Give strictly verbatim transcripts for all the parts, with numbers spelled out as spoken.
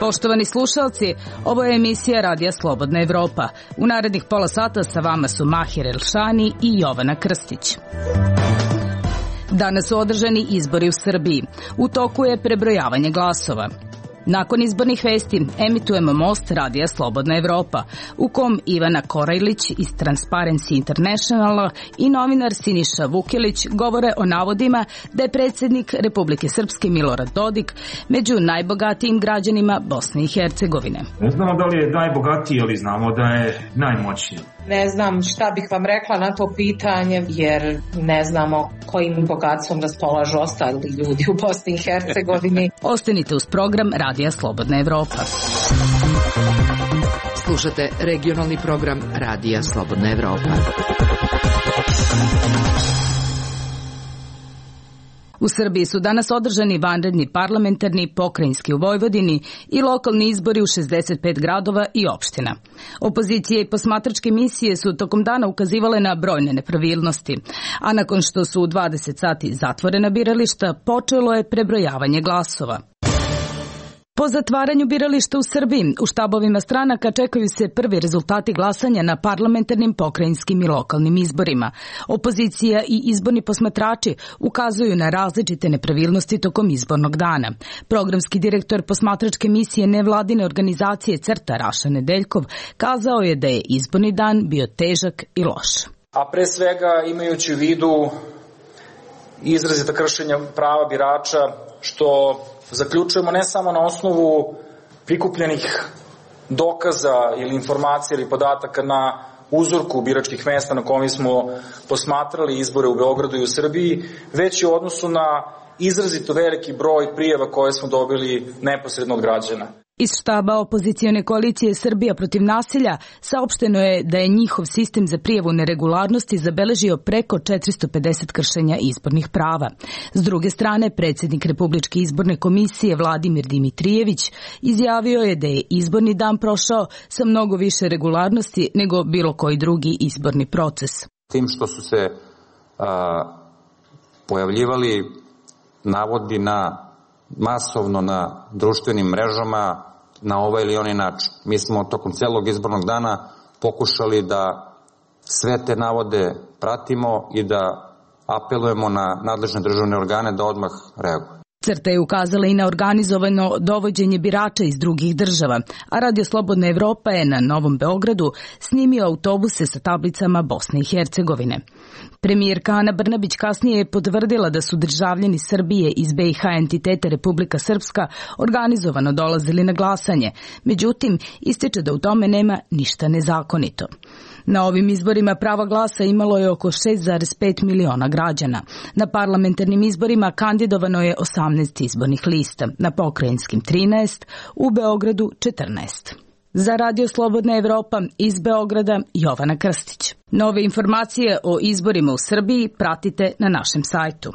Poštovani slušalci, ovo je emisija Radija Slobodna Evropa. U narednih pola sata sa vama su Mahir Elšani i Jovana Krstić. Danas su održani izbori u Srbiji. U toku je prebrojavanje glasova. Nakon izbornih vesti emitujemo Most Radija Slobodna Evropa, u kom Ivana Korajlić iz Transparency Internationala i novinar Siniša Vukilić govore o navodima da je predsjednik Republike Srpske Milorad Dodik među najbogatijim građanima Bosne i Hercegovine. Ne znamo da li je najbogatiji, ali znamo da je najmoćniji. Ne znam šta bih vam rekla na to pitanje, jer ne znamo kojim bogatstvom raspolažu ostali ljudi u Bosni i Hercegovini. Ostanite uz program Radija Slobodna Evropa. Slušate regionalni program Radija Slobodna Evropa. U Srbiji su danas održani vanredni parlamentarni, pokrajinski u Vojvodini i lokalni izbori u šezdeset pet gradova i opština. Opozicije i posmatračke misije su tokom dana ukazivale na brojne nepravilnosti, a nakon što su u dvadeset sati zatvorena birališta, počelo je prebrojavanje glasova. Po zatvaranju birališta u Srbiji, u štabovima stranaka čekaju se prvi rezultati glasanja na parlamentarnim, pokrajinskim i lokalnim izborima. Opozicija i izborni posmatrači ukazuju na različite nepravilnosti tokom izbornog dana. Programski direktor posmatračke misije nevladine organizacije CRTA Raša Nedeljkov kazao je da je izborni dan bio težak i loš. A pre svega imajući u vidu izrazita kršenja prava birača, što zaključujemo ne samo na osnovu prikupljenih dokaza ili informacija ili podataka na uzorku biračkih mesta na kojima smo posmatrali izbore u Beogradu i u Srbiji, već i u odnosu na izrazito veliki broj prijava koje smo dobili neposredno od građana. Iz štaba opozicione koalicije Srbija protiv nasilja saopšteno je da je njihov sistem za prijavu neregularnosti zabeležio preko četiristo pedeset kršenja izbornih prava. S druge strane, predsjednik Republičke izborne komisije Vladimir Dimitrijević izjavio je da je izborni dan prošao sa mnogo više regularnosti nego bilo koji drugi izborni proces. Tim što su se a, pojavljivali navodi na masovno na društvenim mrežama na ovaj ili onaj način. Mi smo tokom celog izbornog dana pokušali da sve te navode pratimo i da apelujemo na nadležne državne organe da odmah reaguju. CRTA je ukazala i na organizovano dovođenje birača iz drugih država, a Radio Slobodna Evropa je na Novom Beogradu snimio autobuse sa tablicama Bosne i Hercegovine. Premijerka Ana Brnabić kasnije je potvrdila da su državljani Srbije iz B i H entitete Republika Srpska organizovano dolazili na glasanje, međutim ističe da u tome nema ništa nezakonito. Na ovim izborima prava glasa imalo je oko šest zarez pet miliona građana. Na parlamentarnim izborima kandidovano je osamnaest izbornih lista, na pokrajinskim trinaest, u Beogradu četrnaest. Za Radio Slobodna Evropa iz Beograda Jovana Krstić. Nove informacije o izborima u Srbiji pratite na našem sajtu.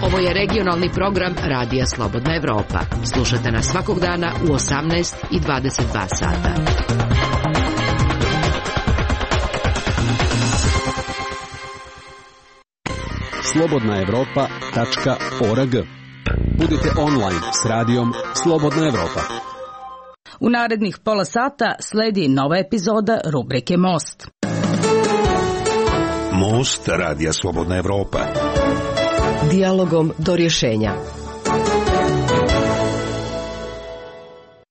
Ovo je regionalni program Radija Slobodna Evropa. Slušate nas svakog dana u osamnaest i dvadeset dva sata. slobodna evropa tačka org. Budite online s radijom Slobodna Evropa. U narednih pola sata sledi nova epizoda rubrike Most. Most Radija Slobodna Evropa. Dijalogom do rješenja.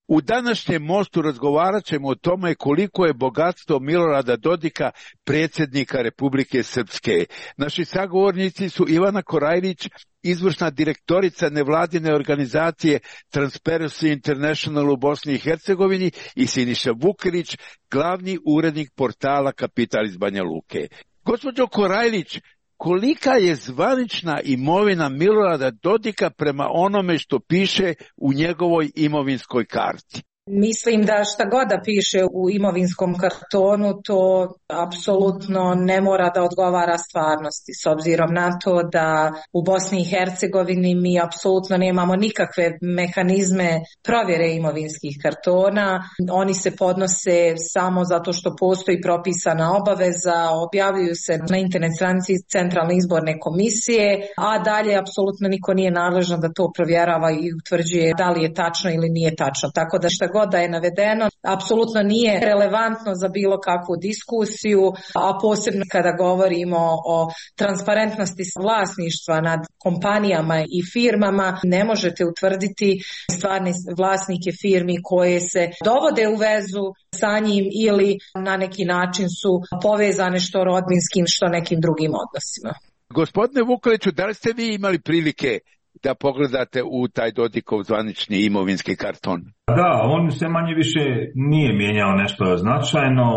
U današnjem Mostu razgovarat ćemo o tome koliko je bogatstvo Milorada Dodika, predsjednika Republike Srpske. Naši sagovornici su Ivana Korajlić, izvršna direktorica nevladine organizacije Transparency International u Bosni i Hercegovini, i Siniša Vukilić, glavni urednik portala Kapital iz Banja Luke. Gospođo Korajlić, kolika je zvanična imovina Milorada Dodika prema onome što piše u njegovoj imovinskoj karti? Mislim da šta god da piše u imovinskom kartonu, to apsolutno ne mora da odgovara stvarnosti, s obzirom na to da u Bosni i Hercegovini mi apsolutno nemamo nikakve mehanizme provjere imovinskih kartona. Oni se podnose samo zato što postoji propisana obaveza, objavljuju se na internet stranici Centralne izborne komisije, a dalje apsolutno niko nije nadležan da to provjerava i utvrđuje da li je tačno ili nije tačno. Tako da šta god da je navedeno, apsolutno nije relevantno za bilo kakvu diskusiju, a posebno kada govorimo o transparentnosti vlasništva nad kompanijama i firmama, ne možete utvrditi stvarne vlasnike firmi koje se dovode u vezu sa njim ili na neki način su povezane što rodbinskim, što nekim drugim odnosima. Gospodine Vukeliću, da li ste vi imali prilike da pogledate u taj Dodikov zvanični imovinski karton? Da, on se manje više nije mijenjao nešto značajno.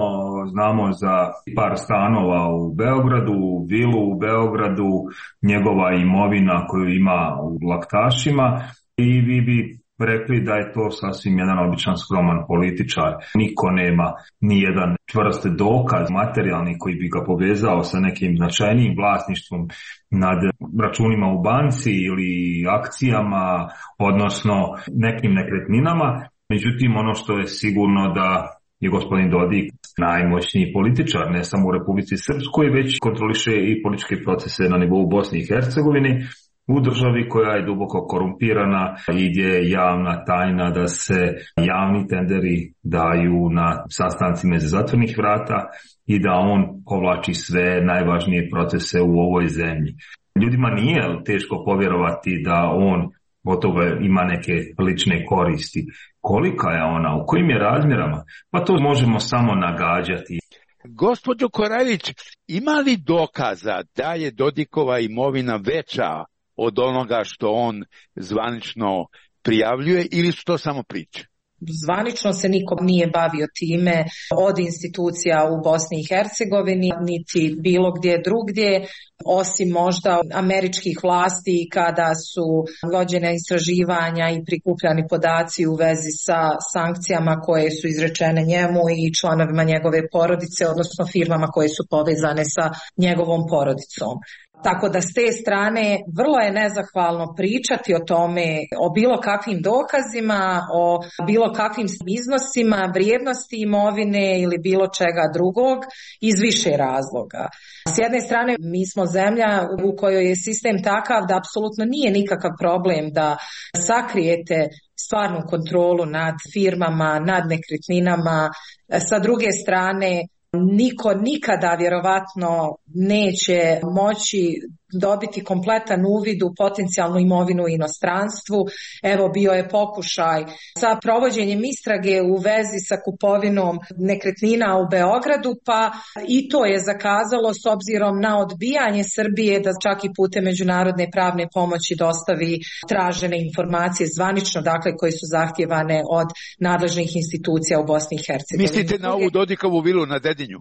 Znamo za par stanova u Beogradu, vilu u Beogradu, njegova imovina koju ima u Laktašima i vi bi rekli da je to sasvim jedan običan skroman političar. Niko nema ni jedan čvrst dokaz materijalni koji bi ga povezao sa nekim značajnijim vlasništvom nad računima u banci ili akcijama, odnosno nekim nekretninama. Međutim, ono što je sigurno da je gospodin Dodik najmoćniji političar, ne samo u Republici Srpskoj, već kontroliše i političke procese na nivou Bosne i Hercegovine, u državi koja je duboko korumpirana i gdje je javna tajna da se javni tenderi daju na sastancima iza zatvorenih vrata i da on povlači sve najvažnije procese u ovoj zemlji. Ljudima nije teško povjerovati da on od toga ima neke lične koristi. Kolika je ona, u kojim je razmjerama? Pa to možemo samo nagađati. Gospođo Korajlić, ima li dokaza da je Dodikova imovina veća od onoga što on zvanično prijavljuje ili su to samo priče? Zvanično se niko nije bavio time od institucija u Bosni i Hercegovini, niti bilo gdje drugdje, osim možda američkih vlasti kada su vođene istraživanja i prikupljani podaci u vezi sa sankcijama koje su izrečene njemu i članovima njegove porodice, odnosno firmama koje su povezane sa njegovom porodicom. Tako da s te strane vrlo je nezahvalno pričati o tome, o bilo kakvim dokazima, o bilo kakvim iznosima, vrijednosti imovine ili bilo čega drugog iz više razloga. S jedne strane mi smo zemlja u kojoj je sistem takav da apsolutno nije nikakav problem da sakrijete stvarnu kontrolu nad firmama, nad nekretninama. Sa druge strane, niko nikada vjerovatno neće moći dobiti kompletan uvid u potencijalnu imovinu u inostranstvu. Evo, bio je pokušaj sa provođenjem istrage u vezi sa kupovinom nekretnina u Beogradu, pa i to je zakazalo s obzirom na odbijanje Srbije da čak i putem međunarodne pravne pomoći dostavi tražene informacije zvanično, dakle koje su zahtjevane od nadležnih institucija u Bosni i Hercegovini. Mislite na ovu Dodikovu vilu na Dedinju?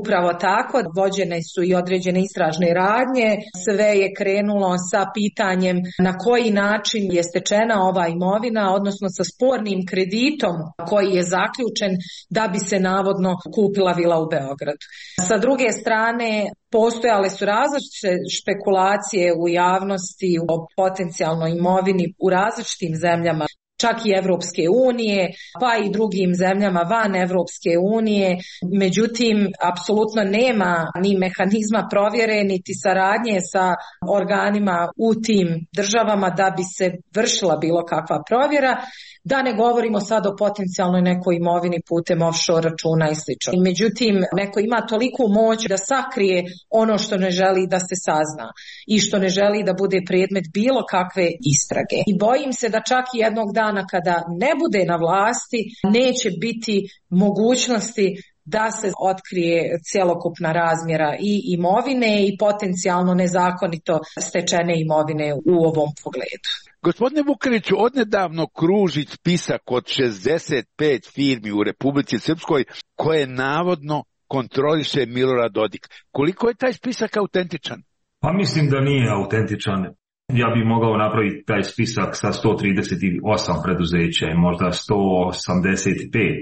Upravo tako, vođene su i određene istražne radnje, sve je krenulo sa pitanjem na koji način je stečena ova imovina, odnosno sa spornim kreditom koji je zaključen da bi se navodno kupila vila u Beogradu. Sa druge strane, postojale su različite špekulacije u javnosti o potencijalnoj imovini u različitim zemljama, čak i Evropske unije, pa i drugim zemljama van Evropske unije. Međutim, apsolutno nema ni mehanizma provjere, niti saradnje sa organima u tim državama da bi se vršila bilo kakva provjera. Da ne govorimo sad o potencijalnoj nekoj imovini putem offshore računa i slično. Međutim, neko ima toliku moć da sakrije ono što ne želi da se sazna i što ne želi da bude predmet bilo kakve istrage. I bojim se da čak i jednog dana kada ne bude na vlasti, neće biti mogućnosti da se otkrije cjelokupna razmjera i imovine i potencijalno nezakonito stečene imovine u ovom pogledu. Gospodine Vukeliću, odnedavno kruži spisak od šezdeset pet firmi u Republici Srpskoj koje navodno kontroliše Milorad Dodik. Koliko je taj spisak autentičan? Pa mislim da nije autentičan. Ja bih mogao napraviti taj spisak sa sto trideset osam preduzeća i možda sto osamdeset pet.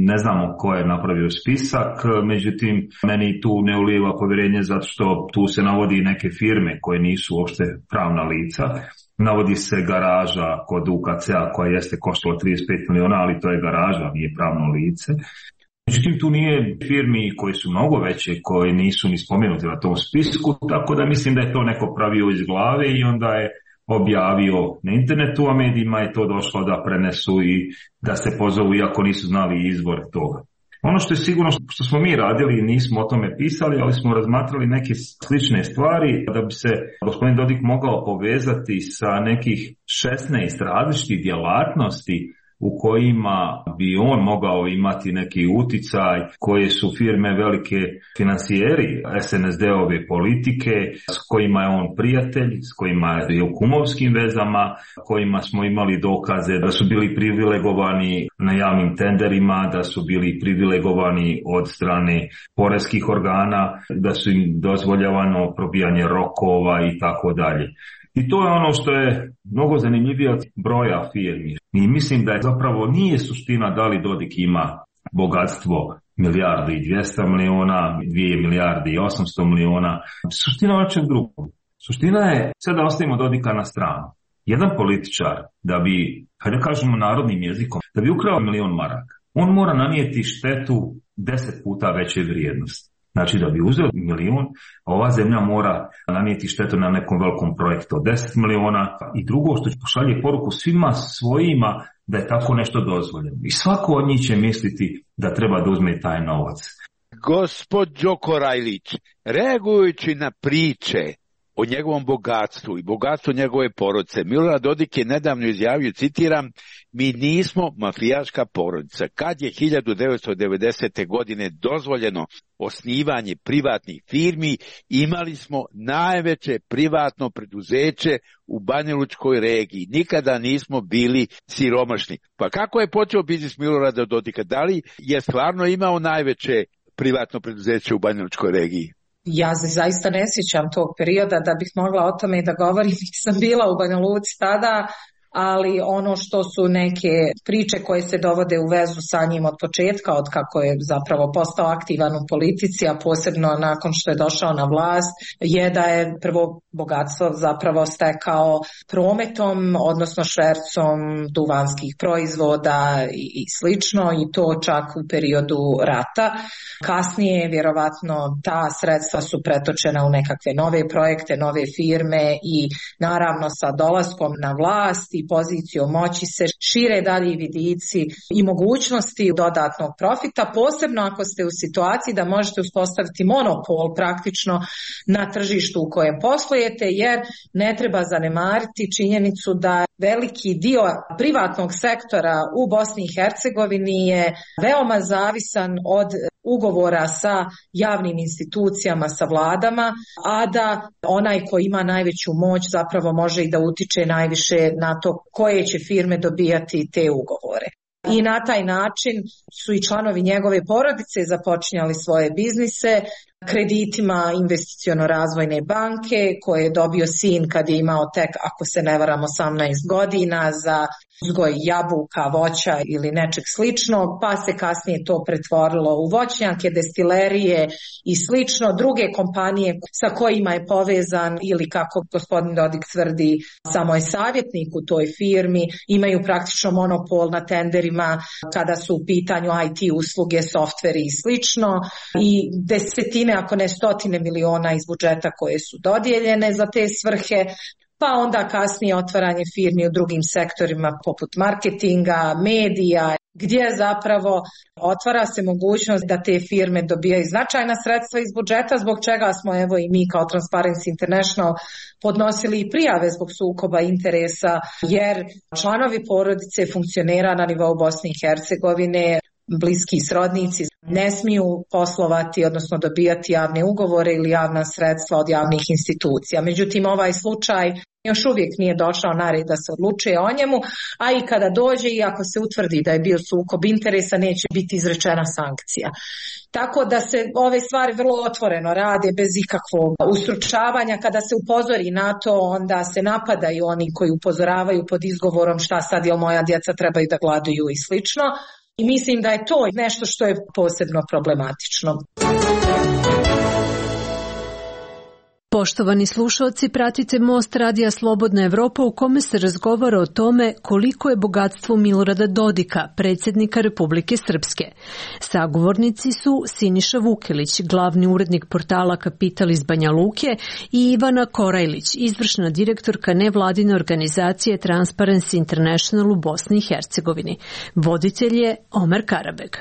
Ne znamo ko je napravio spisak, međutim, meni tu ne ulijeva povjerenje zato što tu se navodi neke firme koje nisu uopšte pravna lica. Navodi se garaža kod U K C-a koja jeste koštala trideset pet miliona, ali to je garaža, nije pravno lice. Međutim, tu nije firmi koji su mnogo veće, koji nisu ni spomenuti na tom spisku, tako da mislim da je to neko pravio iz glave i onda je objavio na internetu, a medijima je to došlo da prenesu i da se pozovu, iako nisu znali izvor toga. Ono što je sigurno što smo mi radili, nismo o tome pisali, ali smo razmatrali neke slične stvari da bi se gospodin Dodik mogao povezati sa nekih šesnaest različitih djelatnosti u kojima bi on mogao imati neki uticaj, koje su firme velike finansijeri S N S D-ove politike, s kojima je on prijatelj, s kojima je u kumovskim vezama, kojima smo imali dokaze da su bili privilegovani na javnim tenderima, da su bili privilegovani od strane poreskih organa, da su im dozvoljavano probijanje rokova i tako dalje. I to je ono što je mnogo zanimljivije od broja firmi. I mislim da je zapravo nije suština da li Dodik ima bogatstvo milijardu i dvjesto miliona, dvije milijarde i osamsto miliona. Suština je očeg drugog. Suština je, sad da ostavimo Dodika na stranu. Jedan političar da bi, hajde kažemo narodnim jezikom, da bi ukrao milion maraka, on mora nanijeti štetu deset puta veće vrijednosti. Znači da bi uzeo milion, a ova zemlja mora nanijeti štetu na nekom velikom projektu od deset miliona. I drugo što će pošalje poruku svima svojima da je tako nešto dozvoljeno. I svako od njih će misliti da treba da uzme taj novac. Gospođo Korajlić, reagujući na priče o njegovom bogatstvu i bogatstvu njegove porodice, Milorad Dodik je nedavno izjavio, citiram, mi nismo mafijaška porodica. Kad je hiljadu devetsto devedesete. godine dozvoljeno osnivanje privatnih firmi, imali smo najveće privatno preduzeće u Banjalučkoj regiji. Nikada nismo bili siromašni. Pa kako je počeo biznis Milorada Dodika? Da li je stvarno imao najveće privatno preduzeće u Banjalučkoj regiji? Ja se zaista ne sjećam tog perioda da bih mogla o tome i da govorim, nisam bila u Banja Luci tada, ali ono što su neke priče koje se dovode u vezu sa njim od početka, od kako je zapravo postao aktivan u politici, a posebno nakon što je došao na vlast, je da je prvo bogatstvo zapravo stekao prometom, odnosno švercom duvanskih proizvoda i, i slično, i to čak u periodu rata. Kasnije, vjerovatno, ta sredstva su pretočena u nekakve nove projekte, nove firme i naravno sa dolaskom na vlast i pozicijom moći se šire dalji vidici i mogućnosti dodatnog profita, posebno ako ste u situaciji da možete uspostaviti monopol praktično na tržištu u kojem poslujete, jer ne treba zanemariti činjenicu da veliki dio privatnog sektora u Bosni i Hercegovini je veoma zavisan od ugovora sa javnim institucijama, sa vladama, a da onaj ko ima najveću moć zapravo može i da utiče najviše na to koje će firme dobijati te ugovore. I na taj način su i članovi njegove porodice započinjali svoje biznise kreditima investiciono-razvojne banke koje je dobio sin kad je imao tek, ako se ne varam, osamnaest godina za uzgoj jabuka, voća ili nečeg sličnog, pa se kasnije to pretvorilo u voćnjake, destilerije i slično. Druge kompanije sa kojima je povezan ili kako gospodin Dodik tvrdi, samo je savjetnik u toj firmi, imaju praktično monopol na tenderima kada su u pitanju I T usluge, softveri i slično, i desetine, ako ne stotine miliona iz budžeta koje su dodijeljene za te svrhe. Pa onda kasnije otvaranje firmi u drugim sektorima poput marketinga, medija, gdje zapravo otvara se mogućnost da te firme dobijaju značajna sredstva iz budžeta, zbog čega smo evo i mi kao Transparency International podnosili i prijave zbog sukoba interesa, jer članovi porodice funkcionera na nivou Bosne i Hercegovine, bliski srodnici, ne smiju poslovati, odnosno dobijati javne ugovore ili javna sredstva od javnih institucija. Međutim, ovaj slučaj još uvijek nije došao na red da se odlučuje o njemu, a i kada dođe i ako se utvrdi da je bio sukob interesa, neće biti izrečena sankcija. Tako da se ove stvari vrlo otvoreno rade bez ikakvog ustručavanja. Kada se upozori na to, onda se napadaju oni koji upozoravaju pod izgovorom šta sad, jel moja djeca trebaju da gladuju i slično. I mislim da je to nešto što je posebno problematično. Poštovani slušalci, pratite Most Radija Slobodna Evropa u kome se razgovara o tome koliko je bogatstvo Milorada Dodika, predsjednika Republike Srpske. Sagovornici su Siniša Vukelić, glavni urednik portala Kapital iz Banja Luke, i Ivana Korajlić, izvršna direktorka nevladine organizacije Transparency International u Bosni i Hercegovini. Voditelj je Omer Karabeg.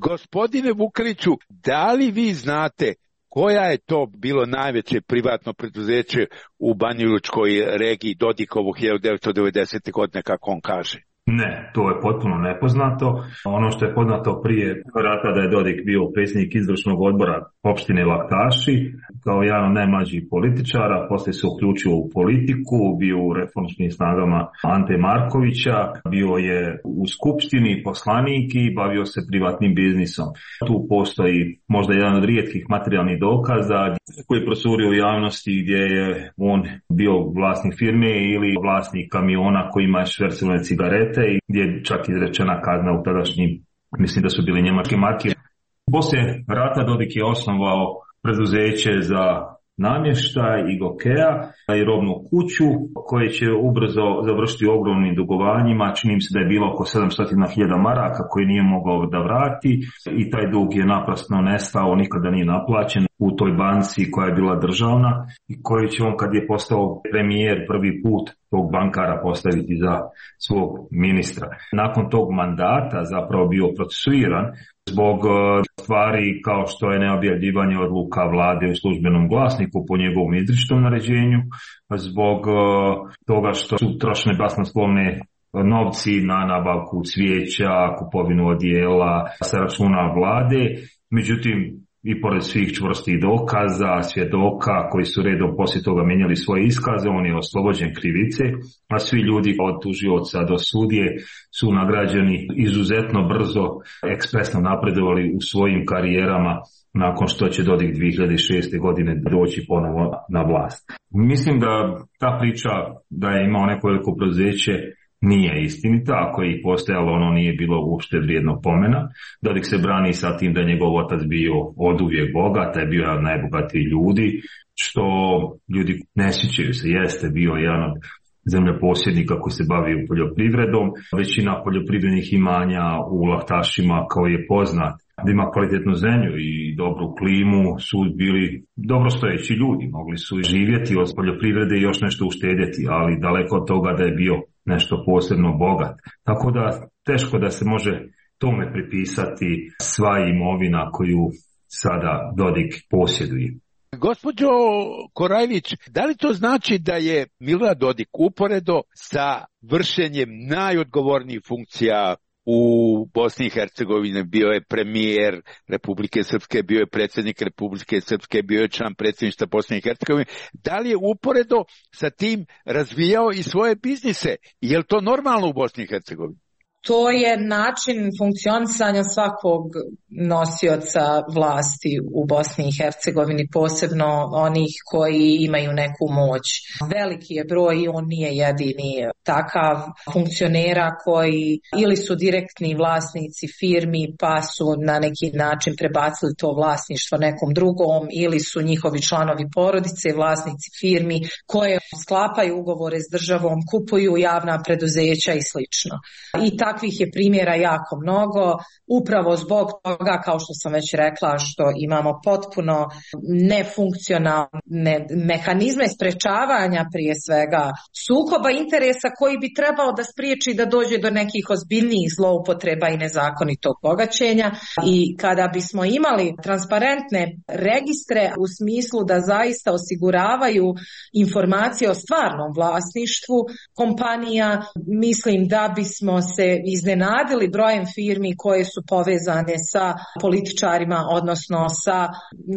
Gospodine Vukeliću, da li vi znate koja je to bilo najveće privatno preduzeće u Banjalučkoj regiji Dodikovog hiljadu devetsto devedesete. godine, kako on kaže? Ne, to je potpuno nepoznato. Ono što je poznato prije rata da je Dodik bio predsjednik izvršnog odbora opštine Laktaši, kao jedan od najmlađih političara, poslije se uključio u politiku, bio u reformskim snagama Ante Markovića, bio je u skupštini poslanik i bavio se privatnim biznisom. Tu postoji možda jedan od rijetkih materijalnih dokaza koji je prosurio u javnosti gdje je on bio vlasnik firme ili vlasnik kamiona koji ima švercovane cigarete i gdje je čak izrečena kazna u tadašnjim, mislim da su bili njemačke marke. Poslije rata Dodik je osnovao preduzeće za namještaj i Gokea i robnu kuću koje će ubrzo završiti ogromnim dugovanjima. Čini mi se da je bilo oko sedamsto hiljada maraka koje nije mogao da vrati i taj dug je naprosto nestao, nikada nije naplaćen u toj banci koja je bila državna i koju će on, kad je postao premijer, prvi put tog bankara postaviti za svog ministra. Nakon tog mandata zapravo bio procesuiran zbog stvari kao što je neobjavljivanje odluka vlade u službenom glasniku po njegovom izričitom naređenju, zbog toga što su trošene basnoslovne novci na nabavku cvijeća, kupovinu odijela sa računa vlade. Međutim, i pored svih čvrstih dokaza, svjedoka koji su redom poslije toga mijenjali svoje iskaze, on je oslobođen krivice, a svi ljudi od tužioca do sudije su nagrađeni izuzetno brzo, ekspresno napredovali u svojim karijerama nakon što će Dodik dvije hiljade šeste. godine doći ponovo na vlast. Mislim da ta priča da je imao neko veliko preduzeće nije istinita, ako je i postojalo, ono nije bilo uopšte vrijedno pomena. Dodik se brani sa tim da je njegov otac bio oduvijek bogat, je bio jedan od najbogatijih ljudi, što ljudi ne sjećaju se, jeste bio jedan od zemljoposjednika koji se bavio poljoprivredom. Većina poljoprivrednih imanja u Laktašima, kao je poznat, da ima kvalitetnu zemlju i dobru klimu, su bili dobrostojeći ljudi, mogli su živjeti od poljoprivrede i još nešto uštedjeti, ali daleko od toga da je bio nešto posebno bogat. Tako da teško da se može tome pripisati sva imovina koju sada Dodik posjeduje. Gospođo Korajlić, da li to znači da je Milorad Dodik uporedo sa vršenjem najodgovornijih funkcija u Bosni i Hercegovini, bio je premijer Republike Srpske, bio je predsjednik Republike Srpske, bio je član predsjedništva Bosne i Hercegovine, da li je uporedo sa tim razvijao i svoje biznise? Je li to normalno u Bosni i Hercegovini? To je način funkcionisanja svakog nosioca vlasti u Bosni i Hercegovini, posebno onih koji imaju neku moć. Veliki je broj i on nije jedini takav funkcionera koji ili su direktni vlasnici firmi pa su na neki način prebacili to vlasništvo nekom drugom, ili su njihovi članovi porodice vlasnici firmi koje sklapaju ugovore s državom, kupuju javna preduzeća i slično. I tako takvih je primjera jako mnogo, upravo zbog toga, kao što sam već rekla, što imamo potpuno nefunkcionalne mehanizme sprečavanja prije svega sukoba interesa koji bi trebao da spriječi da dođe do nekih ozbiljnijih zloupotreba i nezakonitog bogaćenja. I kada bismo imali transparentne registre u smislu da zaista osiguravaju informacije o stvarnom vlasništvu kompanija, mislim da bismo se iznenadili brojem firmi koje su povezane sa političarima, odnosno sa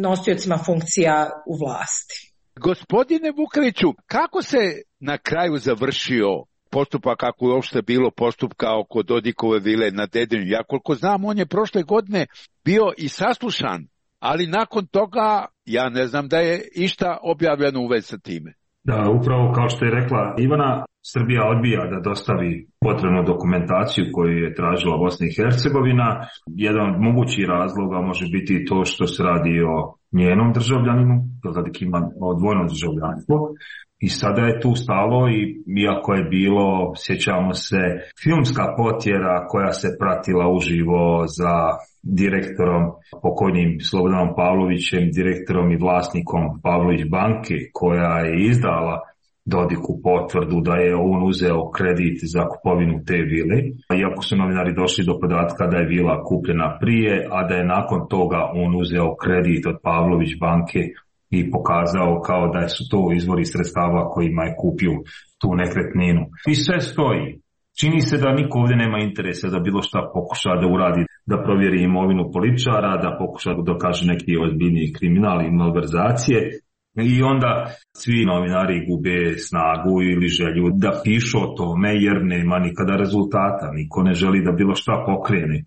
nosiocima funkcija u vlasti. Gospodine Vukeliću, kako se na kraju završio postupak, kako je uopšte bilo postupka oko Dodikove vile na Dedinju? Ja koliko znam, on je prošle godine bio i saslušan, ali nakon toga ja ne znam da je išta objavljeno u vezi sa time. Da, upravo kao što je rekla Ivana, Srbija odbija da dostavi potrebnu dokumentaciju koju je tražila Bosna i Hercegovina. Jedan od mogućih razloga može biti to što se radi o njenom državljaninu, Dodik ima dvojno državljanstvo. I sada je tu stalo i iako je bilo, sjećamo se, filmska potjera koja se pratila uživo za direktorom, pokojnim Slobodanom Pavlovićem, direktorom i vlasnikom Pavlović banke, koja je izdala Dodiku potvrdu da je on uzeo kredit za kupovinu te vile, iako su novinari došli do podatka da je vila kupljena prije, a da je nakon toga on uzeo kredit od Pavlović banke i pokazao kao da su to izvori sredstava kojima je kupio tu nekretninu. I sve stoji. Čini se da niko ovdje nema interesa da bilo šta pokuša da uradi, da provjeri imovinu političara, da pokuša da dokaže neki ozbiljniji kriminal i malverzacije. I onda svi novinari gube snagu ili želju da pišu o tome jer nema nikada rezultata. Niko ne želi da bilo šta pokrene.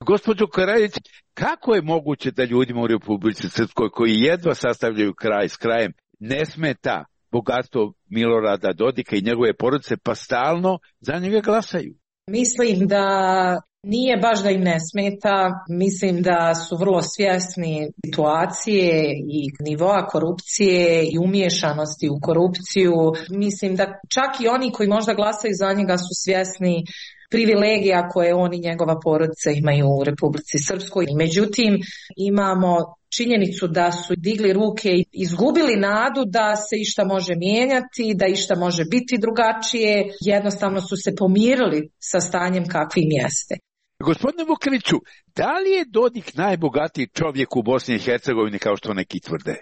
Gospođo Karajić, kako je moguće da ljudima u Republici Srpskoj koji jedva sastavljaju kraj s krajem ne smeta bogatstvo Milorada Dodika i njegove porodice, pa stalno za njega glasaju? Mislim da nije baš da im ne smeta, mislim da su vrlo svjesni situacije i nivoa korupcije i umiješanosti u korupciju. Mislim da čak i oni koji možda glasaju za njega su svjesni privilegija koje on i njegova porodica imaju u Republici Srpskoj. Međutim, imamo činjenicu da su digli ruke i izgubili nadu da se išta može mijenjati, da išta može biti drugačije. Jednostavno su se pomirili sa stanjem kakvim jeste. Gospodine Vukeliću, da li je Dodik najbogatiji čovjek u Bosni i Hercegovini kao što neki tvrde?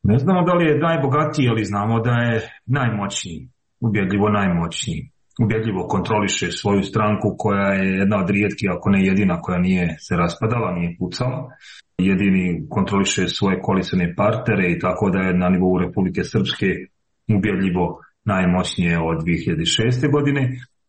Ne znamo da li je najbogatiji, ali znamo da je najmoćniji, ubjedljivo najmoćniji. Ubjedljivo kontroliše svoju stranku koja je jedna od rijetkih, ako ne jedina, koja nije se raspadala, nije pucala. Jedini kontroliše svoje koalicione partnere i tako da je na nivou Republike Srpske ubjedljivo najmoćnije od dvije hiljade šeste. godine,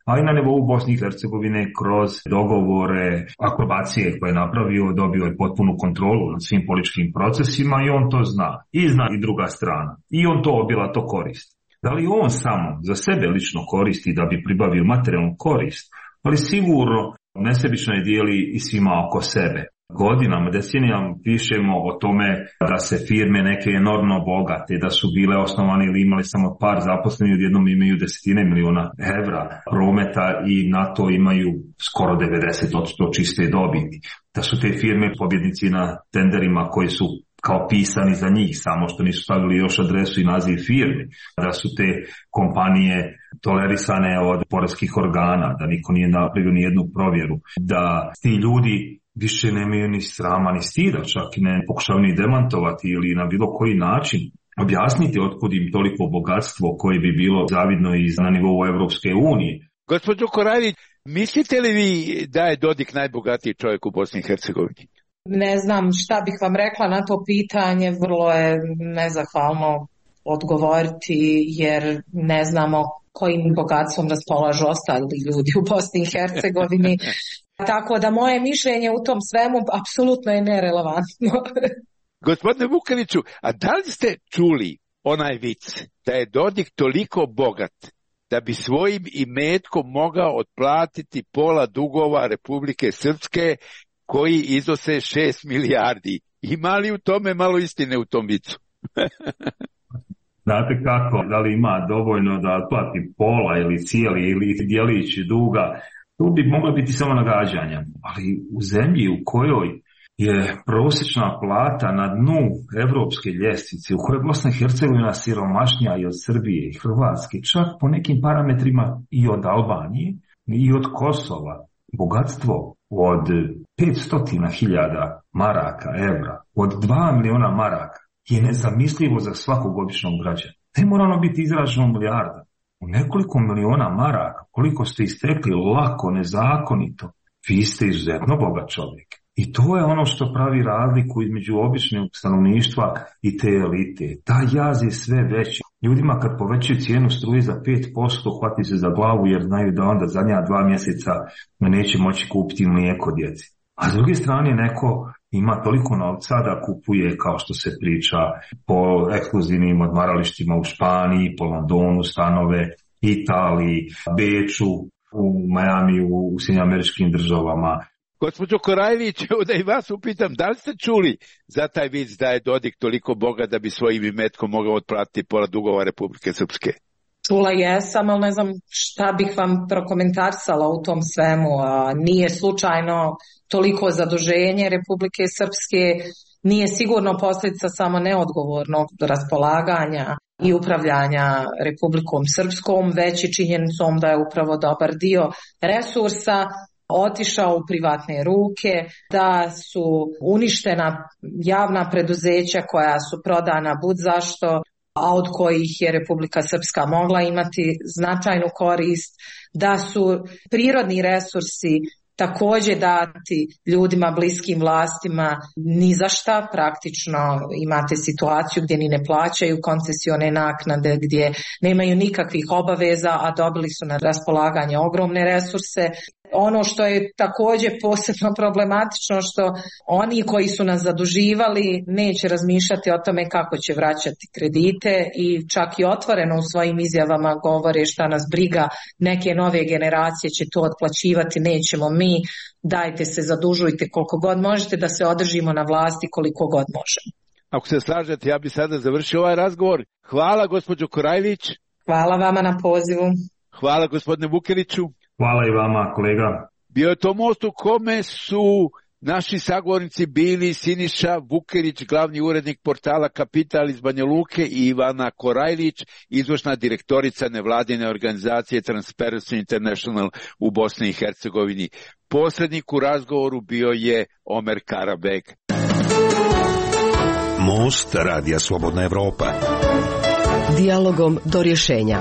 a i na nivou Bosne i Hercegovine kroz dogovore, akrobacije koje je napravio, dobio je potpunu kontrolu nad svim političkim procesima i on to zna. I zna i druga strana. I on to obilato koristi. Da li on samo za sebe lično koristi da bi pribavio materijalnu korist, ali sigurno nesebično je dijeli i svima oko sebe. Godinama, decenijama pišemo o tome da se firme neke enormno bogate, da su bile osnovane ili imali samo par zaposlenih, odjednom imaju desetine miliona evra prometa i na to imaju skoro devedeset posto čiste dobiti. Da su te firme pobjednici na tenderima koji su kao pisani za njih, samo što nisu stavili još adresu i naziv firme, da su te kompanije tolerisane od poreskih organa, da niko nije napravio ni jednu provjeru, da ti ljudi više nemaju ni srama ni stida, čak i ne pokušavaju ni demantovati ili na bilo koji način objasniti otkud im toliko bogatstvo koje bi bilo zavidno i na nivou Evropske unije. Gospođo Korajlić, mislite li vi da je Dodik najbogatiji čovjek u Bosni i Hercegovini? Ne znam šta bih vam rekla na to pitanje, vrlo je nezahvalno odgovoriti jer ne znamo kojim bogatstvom raspolažu ostali ljudi u Bosni i Hercegovini. Tako da moje mišljenje u tom svemu apsolutno je nerelevantno. Gospodine Vukeliću, a da li ste čuli onaj vic da je Dodik toliko bogat da bi svojim imetkom mogao otplatiti pola dugova Republike Srpske koji iznose šest milijardi? Ima li u tome malo istine u tom vicu? Znate kako, da li ima dovoljno da otplati pola ili cijeli ili dijelić duga? Tu bi moglo biti samo nagađanja, ali u zemlji u kojoj je prosječna plata na dnu evropske ljestvice, u kojoj je Bosna i Hercegovina siromašnija i od Srbije i Hrvatske, čak po nekim parametrima i od Albanije i od Kosova, bogatstvo od petsto hiljada maraka, evra, od dva miliona maraka je nezamislivo za svakog običnog građana. Ne mora ono biti izraženo milijarda. U nekoliko miliona maraka koliko ste istekli lako, nezakonito, vi ste izuzetno bogat čovjek. I to je ono što pravi razliku između običnog stanovništva i te elite. Ta jaz je sve veći. Ljudima kad povećaju cijenu struje za pet posto, hvati se za glavu jer znaju da onda zadnja dva mjeseca neće moći kupiti mlijeko djeci. A s druge strane neko ima toliko novca da kupuje, kao što se priča, po ekskluzivnim odmaralištima u Španiji, po Londonu stanove, Italiji, Beču, u Miami, u Sjedinjenim Američkim Državama. Gospođo Korajlić, da i vas upitam, da li ste čuli za taj vic da je Dodik toliko bogat da bi svojim imetkom mogao otplatiti pola dugova Republike Srpske? Čula jesam, ali ne znam šta bih vam prokomentarisala u tom svemu. Nije slučajno toliko zaduženje Republike Srpske, nije sigurno posljedica samo neodgovornog raspolaganja i upravljanja Republikom Srpskom, već i činjenicom da je upravo dobar dio resursa otišao u privatne ruke, da su uništena javna preduzeća koja su prodana bud zašto, a od kojih je Republika Srpska mogla imati značajnu korist, da su prirodni resursi također dati ljudima bliskim vlastima ni za šta, praktično imate situaciju gdje ni ne plaćaju koncesione naknade, gdje nemaju nikakvih obaveza, a dobili su na raspolaganje ogromne resurse. Ono što je također posebno problematično, što oni koji su nas zaduživali neće razmišljati o tome kako će vraćati kredite i čak i otvoreno u svojim izjavama govore šta nas briga, neke nove generacije će to otplaćivati, nećemo mi, dajte se zadužujte koliko god možete da se održimo na vlasti koliko god možemo. Ako se slažete, ja bih sada završio ovaj razgovor. Hvala gospođo Korajlić. Hvala vama na pozivu. Hvala gospodine Vukeliću. Hvala i vama, kolega. Bio je to most u kome su naši sagovornici bili Siniša Vukelić, glavni urednik portala Kapital iz Banja Luke, i Ivana Korajlić, izvršna direktorica nevladine organizacije Transparency International u Bosni i Hercegovini. Posrednik u razgovoru bio je Omer Karabek. Most Radija Slobodna Evropa. Dijalogom do rješenja.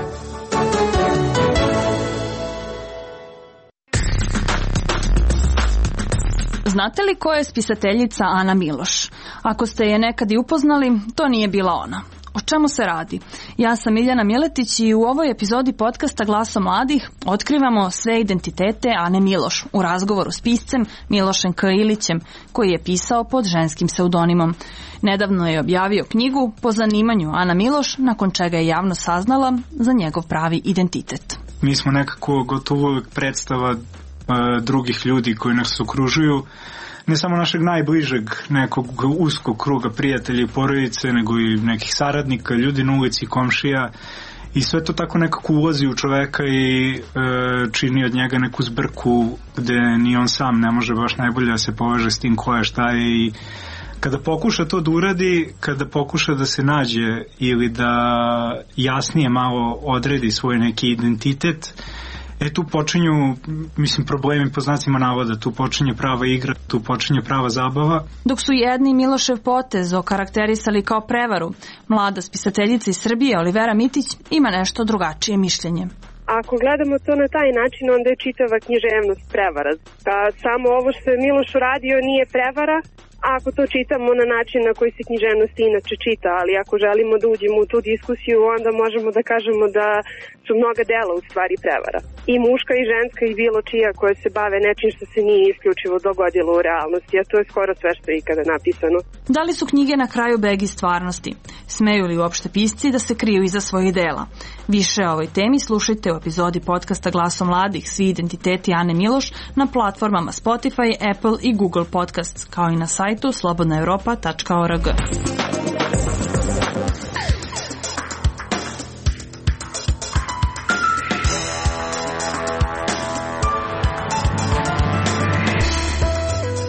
Znate li ko je spisateljica Ana Miloš? Ako ste je nekad i upoznali, to nije bila ona. O čemu se radi? Ja sam Miljana Miletić i u ovoj epizodi podcasta Glasom mladih otkrivamo sve identitete Ane Miloš u razgovoru s piscem Milošem K. Ilićem, koji je pisao pod ženskim pseudonimom. Nedavno je objavio knjigu po zanimanju Ana Miloš, nakon čega je javno saznala za njegov pravi identitet. Mi smo nekako gotovo uvijek predstava drugih ljudi koji nas okružuju, ne samo našeg najbližeg nekog uskog kruga prijatelja i porodice, nego i nekih saradnika, ljudi na ulici, komšija, i sve to tako nekako ulazi u čoveka i e, čini od njega neku zbrku gde ni on sam ne može baš najbolje da se poveže s tim ko je, šta je. I kada pokuša to da uradi, kada pokuša da se nađe ili da jasnije malo odredi svoj neki identitet, E tu počinju, mislim, problemi po znacima navoda, tu počinje prava igra, tu počinje prava zabava. Dok su jedni Milošev potez okarakterisali kao prevaru, mlada spisateljica iz Srbije Olivera Mitić ima nešto drugačije mišljenje. Ako gledamo to na taj način, onda je čitava književnost prevara. Da samo ovo što je Miloš uradio nije prevara, ako to čitamo na način na koji se književnost inače čita, ali ako želimo da uđemo u tu diskusiju, onda možemo da kažemo da su mnoga dela u stvari prevara. I muška i ženska i bilo čija koje se bave nečim što se nije isključivo dogodilo u realnosti, a to je skoro sve što je ikada napisano. Da li su knjige na kraju begi stvarnosti? Smeju li uopšte pisci da se kriju iza svojih dela? Više o ovoj temi slušajte u epizodi podcasta Glasom mladih, svi identiteti Ane Miloš, na platformama Spotify, Apple i Google Podcasts, kao i na sajtu slobodna europa tačka org.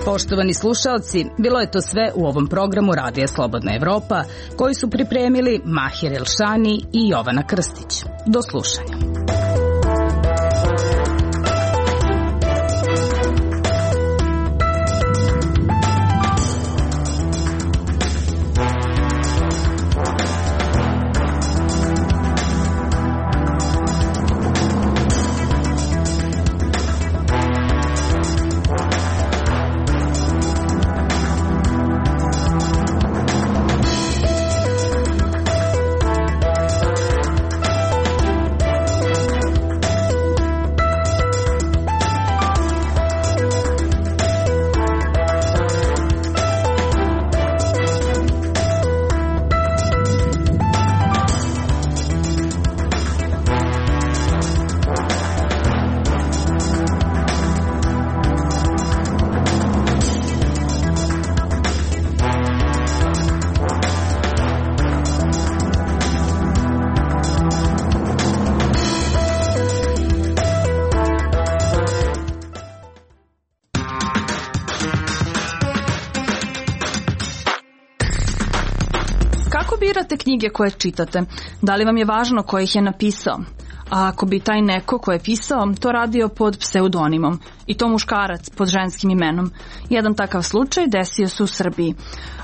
Poštovani slušalci, bilo je to sve u ovom programu Radija Slobodna Evropa, koji su pripremili Mahir Elšani i Jovana Krstić. Do slušanja. Kako birate knjige koje čitate? Da li vam je važno ko ih je napisao? A ako bi taj neko ko je pisao to radio pod pseudonimom i to muškarac pod ženskim imenom? Jedan takav slučaj desio se u Srbiji.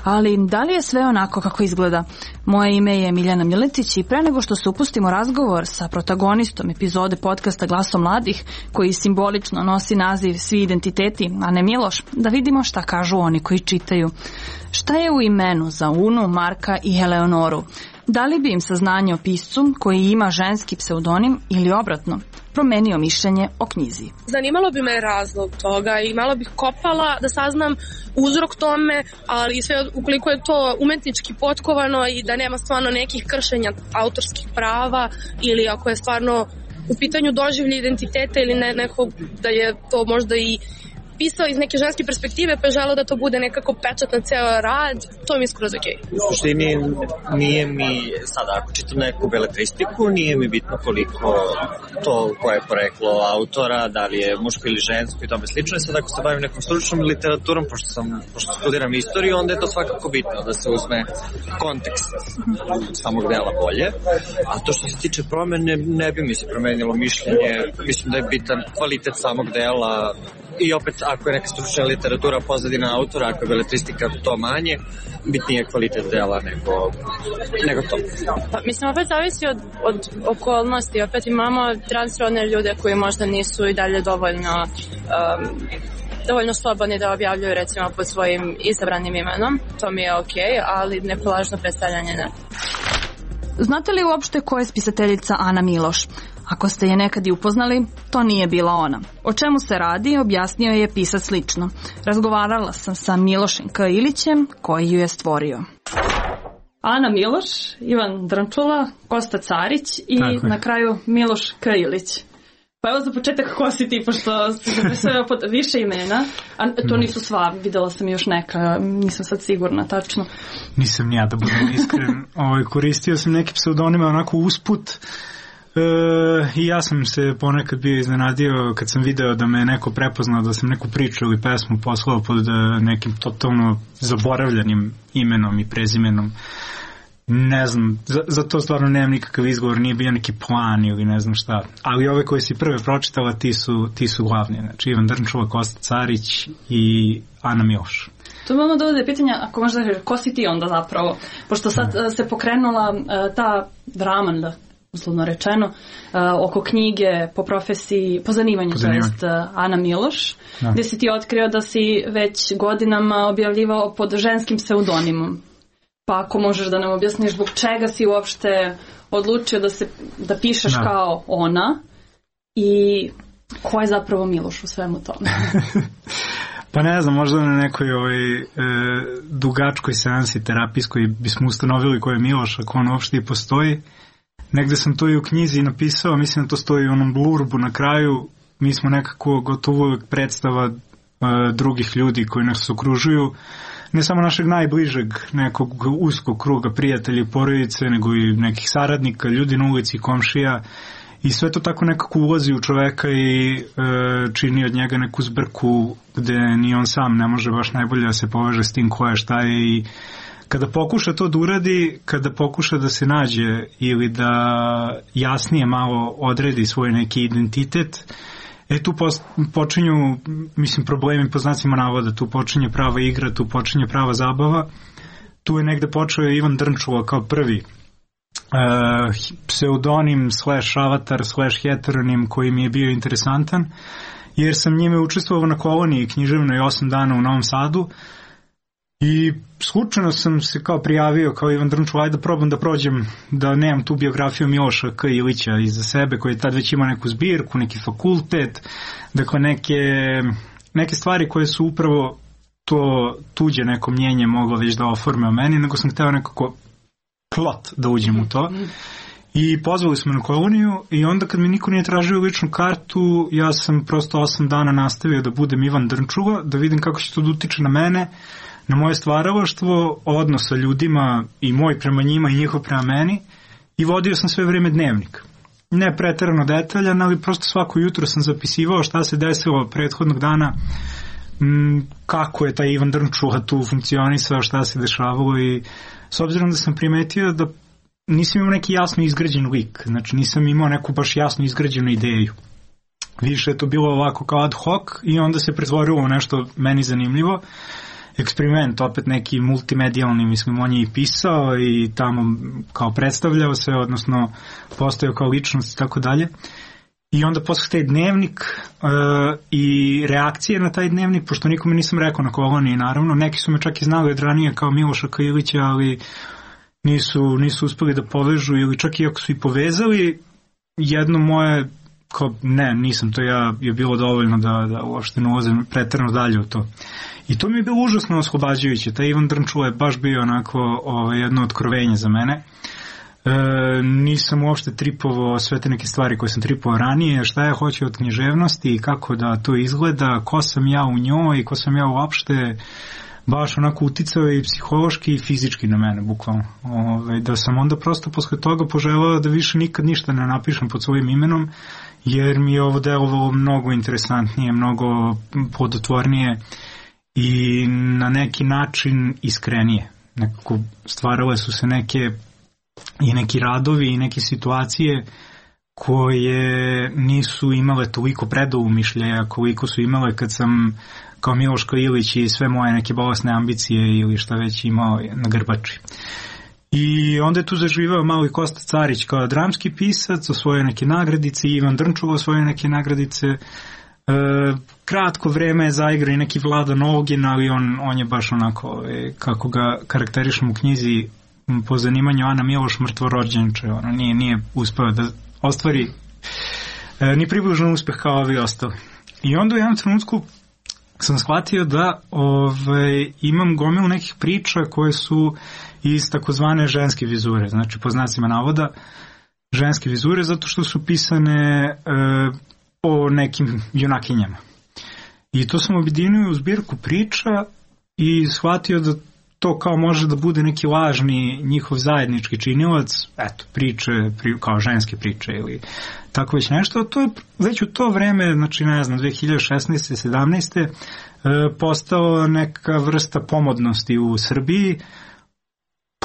Ali da li je sve onako kako izgleda? Moje ime je Miljana Miletić i pre nego što se upustimo razgovor sa protagonistom epizode podcasta Glaso mladih, koji simbolično nosi naziv Svi identiteti, Ane Miloš, da vidimo šta kažu oni koji čitaju. Šta je u imenu za Unu, Marka i Eleonoru? Da li bi im saznanje o piscu koji ima ženski pseudonim ili obratno promenio mišljenje o knjizi? Zanimalo bi me razlog toga i malo bih kopala da saznam uzrok tome, ali sve ukoliko je to umetnički potkovano i da nema stvarno nekih kršenja autorskih prava ili ako je stvarno u pitanju doživlje identiteta ili ne, nekog da je to možda i pisao iz neke ženske perspektive pa je želeo da to bude nekako pečat na ceo rad, to mi je skroz okej. U suštini nije mi, sada ako čitam neku beletristiku, nije mi bitno koliko to koje je poreklo autora, da li je muško ili žensko i tome slično. I sad ako se bavim nekom stručnom literaturom, pošto, sam, pošto studiram istoriju, onda je to svakako bitno da se uzme kontekst samog dela bolje. A to što se tiče promene, ne bi mi se promenilo mišljenje. Mislim da je bitan kvalitet samog dela. I opet, ako je neka stručna literatura pozadina autora, ako je beletristika to manje, bitnije je kvalitet dela nego, nego to. Pa, mislim, opet zavisi od, od okolnosti. Opet imamo transrodne ljude koji možda nisu i dalje dovoljno um, dovoljno slobodni da objavljuju recimo pod svojim izabranim imenom. To mi je okej, ali nepolažno predstavljanje ne. Znate li uopšte ko je spisateljica Ana Miloš? Ako ste je nekad i upoznali, to nije bila ona. O čemu se radi, objasnio je pisac lično. Razgovarala sam sa Milošem K. Ilićem, koji ju je stvorio. Ana Miloš, Ivan Drnčula, Kosta Carić i na kraju Miloš K. Ilić. Pa evo za početak ko si ti, pošto ste sve pod više imena, a to nisu sva, videla sam još neka, nisam sad sigurna tačno. Nisam ni ja, da budem iskren. Ovaj, koristio sam neke pseudonime onako usput. E, i ja sam se ponekad bio iznenadio kad sam video da me neko prepoznao, da sam neku priču ili pesmu poslao pod nekim totalno zaboravljanim imenom i prezimenom. Ne znam, za, za to stvarno nemam nikakav izgovor, nije bio neki plan ili ne znam šta, ali ove koje si prve pročitala ti su, ti su glavni, znači Ivan Drnčula, Kosta Carić i Ana Miloš. To imamo dovode pitanja, ako možda reći, ko si ti onda zapravo, pošto sad uh, se pokrenula uh, ta drama, da uslovno rečeno, uh, oko knjige po profesiji, po zanimanju, to jest uh, Ana Miloš, da. Gde si ti otkrio da si već godinama objavljivao pod ženskim pseudonimom. Pa ako možeš da nam objasniš zbog čega si uopšte odlučio da, se, da pišeš da. Kao ona i ko je zapravo Miloš u svemu tome? Pa ne znam, možda na nekoj ovaj, e, dugačkoj seansi terapijskoj bismo ustanovili ko je Miloš, ako on uopšte i postoji. Negde sam to i u knjizi napisao, mislim da to stoji u onom blurbu na kraju. Mi smo nekako gotovo uvek predstava e, drugih ljudi koji nas okružuju. Ne samo našeg najbližeg nekog uskog kruga prijatelja i porodice, nego i nekih saradnika, ljudi na ulici, komšija. I sve to tako nekako ulazi u čoveka i e, čini od njega neku zbrku gde ni on sam ne može baš najbolje da se poveže s tim ko je, šta je. I kada pokuša to da uradi, kada pokuša da se nađe ili da jasnije malo odredi svoj neki identitet, E tu počinju, mislim, problemi po znacima navoda, tu počinje prava igra, tu počinje prava zabava. Tu je negde počeo Ivan Drnčula kao prvi uh, pseudonim slash avatar slash heteronim koji mi je bio interesantan, jer sam njime učestvovao na koloniji književnoj osam dana u Novom Sadu i slučajno sam se kao prijavio kao Ivan Drnčula, ajde da probam da prođem, da nemam tu biografiju Miloša K. Ilića iza sebe, koji je tad već imao neku zbirku, neki fakultet, dakle neke, neke stvari koje su upravo to tuđe neko mnjenje moglo već da oforme o meni, nego sam hteo nekako plot da uđem u to. I pozvali smo na koloniju i onda kad mi niko nije tražio ličnu kartu, ja sam prosto osam dana nastavio da budem Ivan Drnčula, da vidim kako će to da utiče na mene, na moje stvaralaštvo, odnos sa ljudima i moj prema njima i njihov prema meni, i vodio sam sve vreme dnevnik. Ne preterano detaljan, ali prosto svako jutro sam zapisivao šta se desilo prethodnog dana, m, kako je taj Ivan Drnčula tu funkcionisao, šta se dešavalo, i s obzirom da sam primetio da nisam imao neki jasno izgrađen lik, znači nisam imao neku baš jasno izgrađenu ideju. Više je to bilo ovako kao ad hoc i onda se pretvorilo u nešto meni zanimljivo. Eksperiment, opet neki multimedijalni, mislim, on je i pisao i tamo kao predstavljao se, odnosno postojao kao ličnost i tako dalje. I onda posle taj dnevnik uh, i reakcije na taj dnevnik, pošto nikome nisam rekao na koloniji, naravno, neki su me čak i znali od ranije kao Miloša Kailića, ali nisu, nisu uspeli da povežu, ili čak i ako su i povezali, jedno moje, kao ne, nisam to ja, je bilo dovoljno da, da uopšte ne ulazim preterano dalje u to. I to mi je bilo užasno oslobađajuće. Taj Ivan Drnčula je baš bio onako ovaj, jedno otkrovenje za mene. E, nisam uopšte tripovao sve te neke stvari koje sam tripovao ranije, šta ja hoću od književnosti i kako da to izgleda, ko sam ja u njoj i ko sam ja uopšte, baš onako uticao i psihološki i fizički na mene, bukvalno. Ove, da sam onda prosto posle toga poželao da više nikad ništa ne napišem pod svojim imenom, jer mi je ovo delovalo mnogo interesantnije, mnogo plodotvornije i na neki način iskrenije. Nekako stvarale su se neke i neki radovi i neke situacije koje nisu imale toliko predoumišljaja koliko su imale kad sam kao Miloš Kailić i sve moje neke bolesne ambicije ili šta već imao na grbači. I onda je tu zaživao malo i Kosta Carić kao dramski pisac, osvojio neke nagradice, Ivan Drnčula osvojio neke nagradice. E, kratko vreme je zaigrao i neki Vlada Nogin, ali on, on je baš onako, e, kako ga karakterišem u knjizi po zanimanju Ana Miloš, mrtvorođenče, ono nije, nije uspeo da ostvari e, ni približno uspeh kao ovi ostali. I onda u jednom trenutku sam shvatio da ove, imam gomilu nekih priča koje su iz takozvane ženske vizure, znači po znacima navoda ženske vizure, zato što su pisane e, o nekim junakinjama. I to sam objedinio u zbirku priča i shvatio da to kao može da bude neki lažni njihov zajednički činilac, eto, priče, pri, kao ženske priče ili tako već nešto. To je već u to vreme, znači ne znam, dve hiljade šesnaeste sedamnaeste E, postao neka vrsta pomodnosti u Srbiji,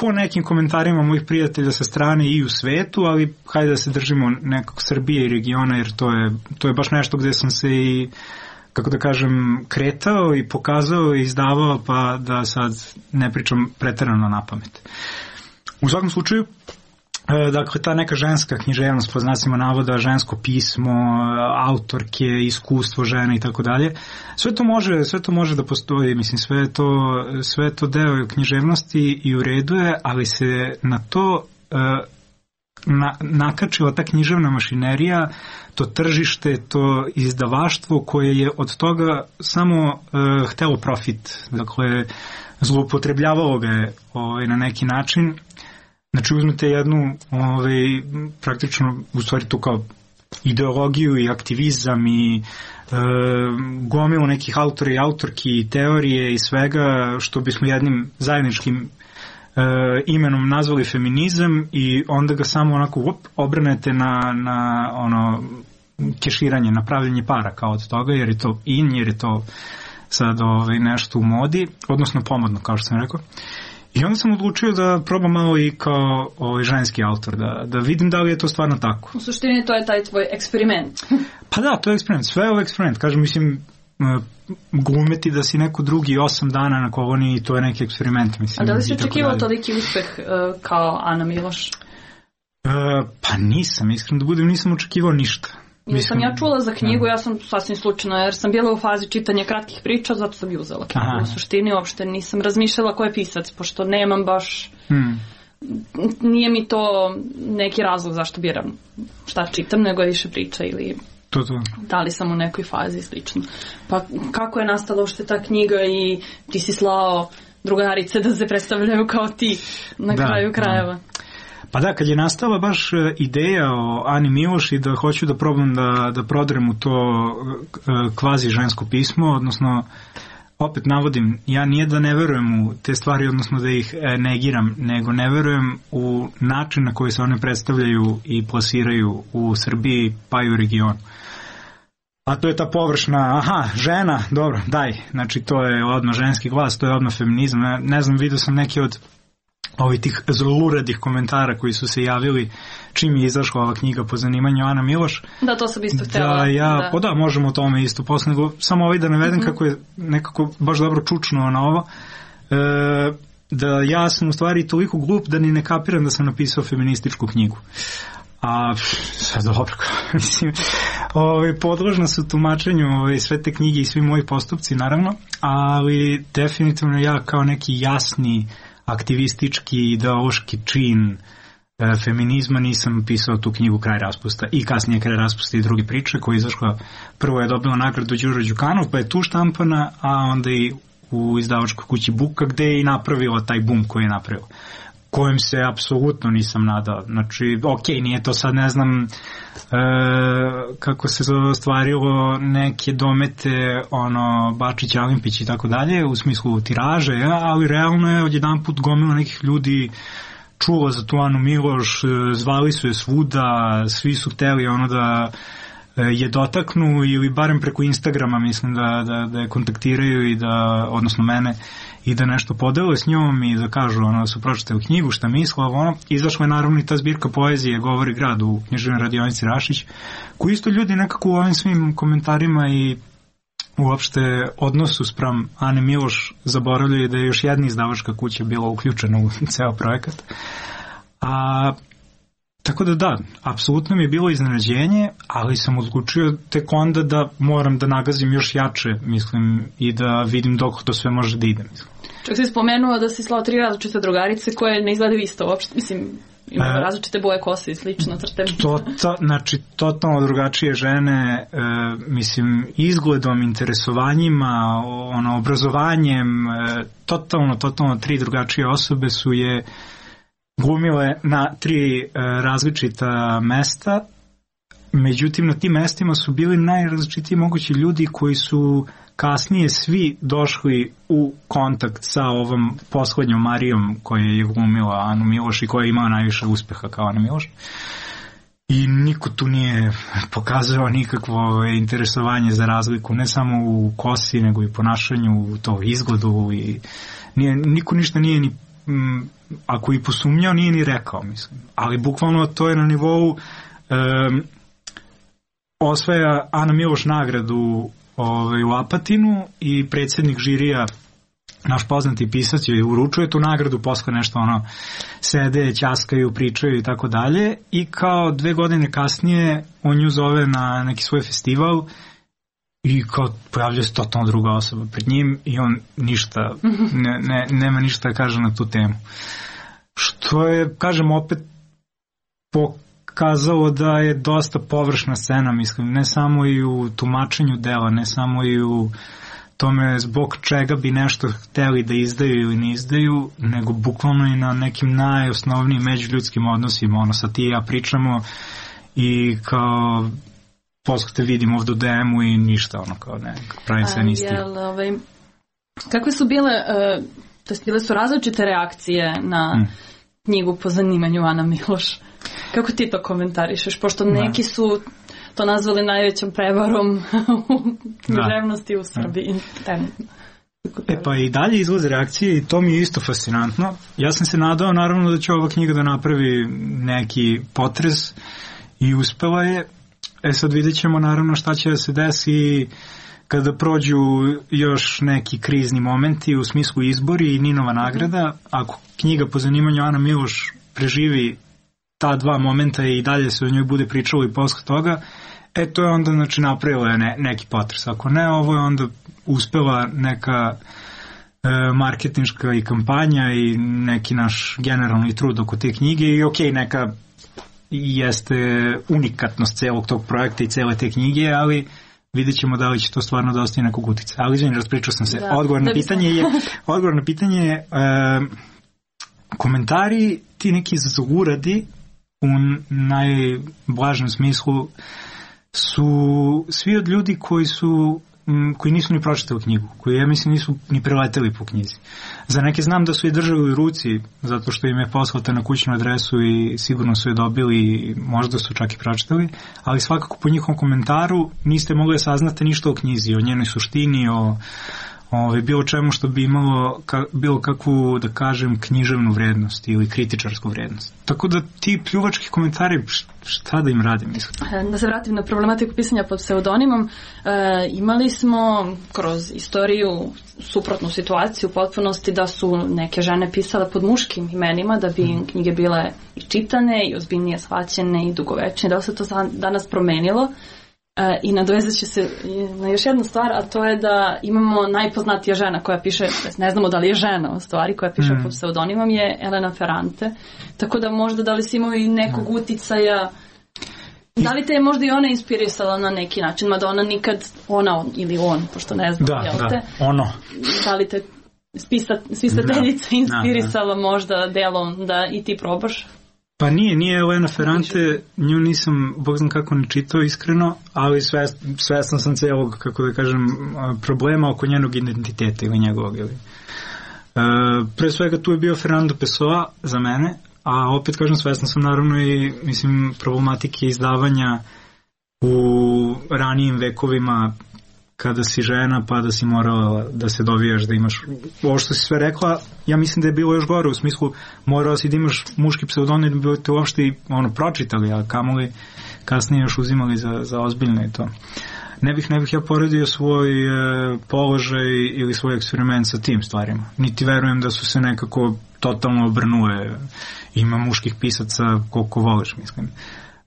po nekim komentarima mojih prijatelja sa strane i u svetu, ali hajde da se držimo nekog Srbije i regiona, jer to je, to je baš nešto gde sam se i, kako da kažem, kretao i pokazao i izdavao, pa da sad ne pričam preterano na pamet. U svakom slučaju, dakle, ta neka ženska književnost, po znacima navoda, žensko pismo, autorke, iskustvo žene i tako dalje, sve to može, sve to može da postoji, mislim, sve je to, sve je to deo književnosti i u redu je, ali se na to na, nakačila ta književna mašinerija, to tržište, to izdavaštvo koje je od toga samo uh, htelo profit, dakle, zloupotrebljavalo ga je ovaj, na neki način. Znači, uzmete jednu, ovaj, praktično, u stvari tu kao ideologiju i aktivizam i e, gomilu nekih autora i autorki i teorije i svega što bismo jednim zajedničkim e, imenom nazvali feminizam, i onda ga samo onako op, obranete na, na ono keširanje, na pravljenje para kao od toga, jer je to in, jer je to sad ovaj, nešto u modi, odnosno pomodno, kao što sam rekao. I onda sam odlučio da probam malo i kao ovaj ženski autor, da, da vidim da li je to stvarno tako. U suštini to je taj tvoj eksperiment. Pa da, to je eksperiment, sve je ovo eksperiment. Kažem, mislim, glumeti da si neko drugi osam dana na koloniji, to je neki eksperiment. Mislim, a da li si očekivao toliki uspeh uh, kao Ana Miloš? Uh, pa nisam, iskreno da budem, nisam očekivao ništa. Jer sam ja čula za knjigu, ja sam sasvim slučajno, jer sam bila u fazi čitanja kratkih priča, zato sam ju uzela knjigu. Aha. U suštini uopšte nisam razmišljala ko je pisac, pošto nemam baš... Hmm. Nije mi to neki razlog zašto biram šta čitam, nego je više priča ili... To, to. Da li sam u nekoj fazi slično. Pa kako je nastala uopšte ta knjiga i ti si slao drugarice da se predstavljaju kao ti na da, kraju krajeva. Da. Pa da, kad je nastala baš ideja o Ani Miloš i da hoću da probam da, da prodrem u to kvazi žensko pismo, odnosno, opet navodim, ja nije da ne verujem u te stvari, odnosno da ih negiram, nego ne verujem u način na koji se one predstavljaju i plasiraju u Srbiji, pa i u regionu. a to je ta površna, aha, žena, dobro, daj, znači to je odmah ženski glas, to je odmah feminizam, ne, ne znam, vidio sam neki od ovih tih zluradih komentara koji su se javili čim je izašla ova knjiga po zanimanju Ana Miloš. Da, to sam isto htjela. Da, ja, da. Pa da, možemo o tome isto posle, nego samo ovaj da navedem mm-hmm. kako je nekako baš dobro čučnuo na ovo, e, da ja sam u stvari toliko glup da ni ne kapiram da sam napisao feminističku knjigu. A sve dobro, mislim, ovaj, podložna su tumačenju ovaj, sve te knjige i svi moji postupci, naravno, ali definitivno ja kao neki jasni aktivistički, ideološki čin e, feminizma nisam pisao tu knjigu Kraj raspusta i kasnije Kraj raspusta i druge priče koja je izašla, prvo je dobila nagradu Đuro Đukanov, pa je tu štampana, a onda i u izdavačkoj kući Buka gde je i napravila taj bum koji je napravila, kojem se apsolutno nisam nadao. Znači, ok, nije to sad, ne znam, e, kako se ostvarilo neke domete, ono, Bačić, Alimpić i tako dalje, u smislu tiraže, ja, ali realno je odjedan put gomila nekih ljudi čulo za tu Anu Miloš, zvali su je svuda, svi su hteli ono da je dotaknu ili barem preko Instagrama, mislim, da, da, da je kontaktiraju i da, odnosno mene, i da nešto podele s njom i da kažu ono, da su pročitali knjigu, šta misle, ono. Izašla je naravno i ta zbirka poezije Govori grad u književnoj radionici Rašić, koji isto ljudi nekako u ovim svim komentarima i uopšte odnosu spram Ane Miloš zaboravljaju da je još jedna izdavačka kuća bila uključena u ceo projekat. A tako da da, apsolutno mi je bilo iznenađenje, ali sam odlučio tek onda da moram da nagazim još jače, mislim, i da vidim dok to sve može da ide, mislim. Čak si spomenuo da si slao tri različite drugarice koje ne izgledaju isto uopšte, mislim, imaju e, različite boje kose i slično crte. To, to, znači, totalno drugačije žene, e, mislim, izgledom, interesovanjima, ono, obrazovanjem, e, totalno, totalno tri drugačije osobe su je glumile na tri e, različita mesta, međutim na tim mestima su bili najrazličitiji mogući ljudi koji su kasnije svi došli u kontakt sa ovom poslednjom Marijom koja je glumila Anu Miloš i koja je imala najviše uspeha kao Ana Miloš. I niko tu nije pokazao nikakvo interesovanje za razliku, ne samo u kosi, nego i ponašanju, u to izgledu i nije, niko ništa nije ni m, ako i posumnjao, nije ni rekao, mislim. Ali bukvalno to je na nivou um, osvaja Ana Miloš nagradu ovaj, u Apatinu i predsjednik žirija, naš poznati pisac, joj uručuje tu nagradu, posle nešto ono sede, ćaskaju, pričaju i tako dalje, i kao dve godine kasnije on nju zove na neki svoj festival i kao pojavlja se totalno druga osoba pred njim i on ništa, ne, ne, nema ništa da kaže na tu temu. Što je, kažem, opet pokazalo da je dosta površna scena, mislim, ne samo i u tumačenju dela, ne samo i u tome zbog čega bi nešto hteli da izdaju ili ne izdaju, nego bukvalno i na nekim najosnovnijim međuljudskim odnosima, ono, sad ti i ja pričamo i kao posle te vidim ovdje u D M-u i ništa, ono, kao ne, pravim se nisti. Ovaj, kakve su bile, uh, to jest bile su različite reakcije na mm. knjigu po zanimanju Ana Miloš? Kako ti to komentarišeš? Pošto neki su to nazvali najvećom prevarom u književnosti u Srbiji. E pa i dalje izlaze reakcije i to mi je isto fascinantno. Ja sam se nadao naravno da će ova knjiga da napravi neki potres i uspela je. E sad vidjet ćemo naravno šta će da se desi kada prođu još neki krizni momenti u smislu izbori i Ninova nagrada. Ako knjiga po zanimanju Ana Miloš preživi ta dva momenta i dalje se o njoj bude pričalo i posle toga, e to je onda znači napravilo je ne, neki potres. Ako ne, ovo je onda uspela neka e, marketinška i kampanja i neki naš generalni trud oko te knjige i ok, neka jeste unikatnost celog tog projekta i cele te knjige, ali vidjet ćemo da li će to stvarno da ostaje nekog utica. Ali izvini, raspričao sam se. Da, odgovor, na pitanje je, odgovor na pitanje je e, komentari, ti neki zluradi u najblažem smislu su svi od ljudi koji su m, koji nisu ni pročitali knjigu, koji ja mislim nisu ni preleteli po knjizi. Za neke znam da su je držali u ruci zato što im je poslata na kućnu adresu i sigurno su je dobili i možda su čak i pročitali, ali svakako po njihovom komentaru niste mogli da saznate ništa o knjizi, o njenoj suštini, o Ove, bilo čemu što bi imalo ka, bilo kakvu, da kažem, književnu vrednost ili kritičarsku vrednost. Tako da ti pljuvački komentari, šta da im radim, mislim? Da se vratim na problematiku pisanja pod pseudonimom, e, imali smo kroz istoriju suprotnu situaciju u potpunosti da su neke žene pisale pod muškim imenima da bi im knjige bile i čitane i ozbiljnije shvaćene i dugovečne. Da li se to danas promenilo? I nadovezat će se na još jednu stvar, a to je da imamo najpoznatija žena koja piše, ne znamo da li je žena u stvari, koja piše mm. pod pseudonimom, je Elena Ferrante. Tako da možda da li si imao i nekog uticaja, da li te je možda i ona inspirisala na neki način, mada ona nikad, ona ili on, pošto ne znam, da, jel da, te? ono. Da li te spisateljica inspirisala da, da. možda delom da i ti probaš? Pa nije, nije Elena Ferrante, nju nisam, bog znam kako ne čitao iskreno, ali svest, svestan sam celog, kako da kažem, problema oko njenog identiteta ili njegovog. Ili. E, pre svega tu je bio Fernando Pessoa za mene, a opet kažem svestan sam naravno i mislim problematike izdavanja u ranijim vekovima kada si žena pa da si morala da se dovijaš da imaš ovo što si sve rekla, ja mislim da je bilo još gore u smislu morala si da imaš muški pseudonim da bi te uopšte ono pročitali, a kamoli kasnije još uzimali za, za ozbiljno i to. Ne bih, ne bih ja poredio svoj e, položaj ili svoj eksperiment sa tim stvarima. Niti verujem da su se nekako totalno obrnule. Ima muških pisaca koliko voliš, mislim.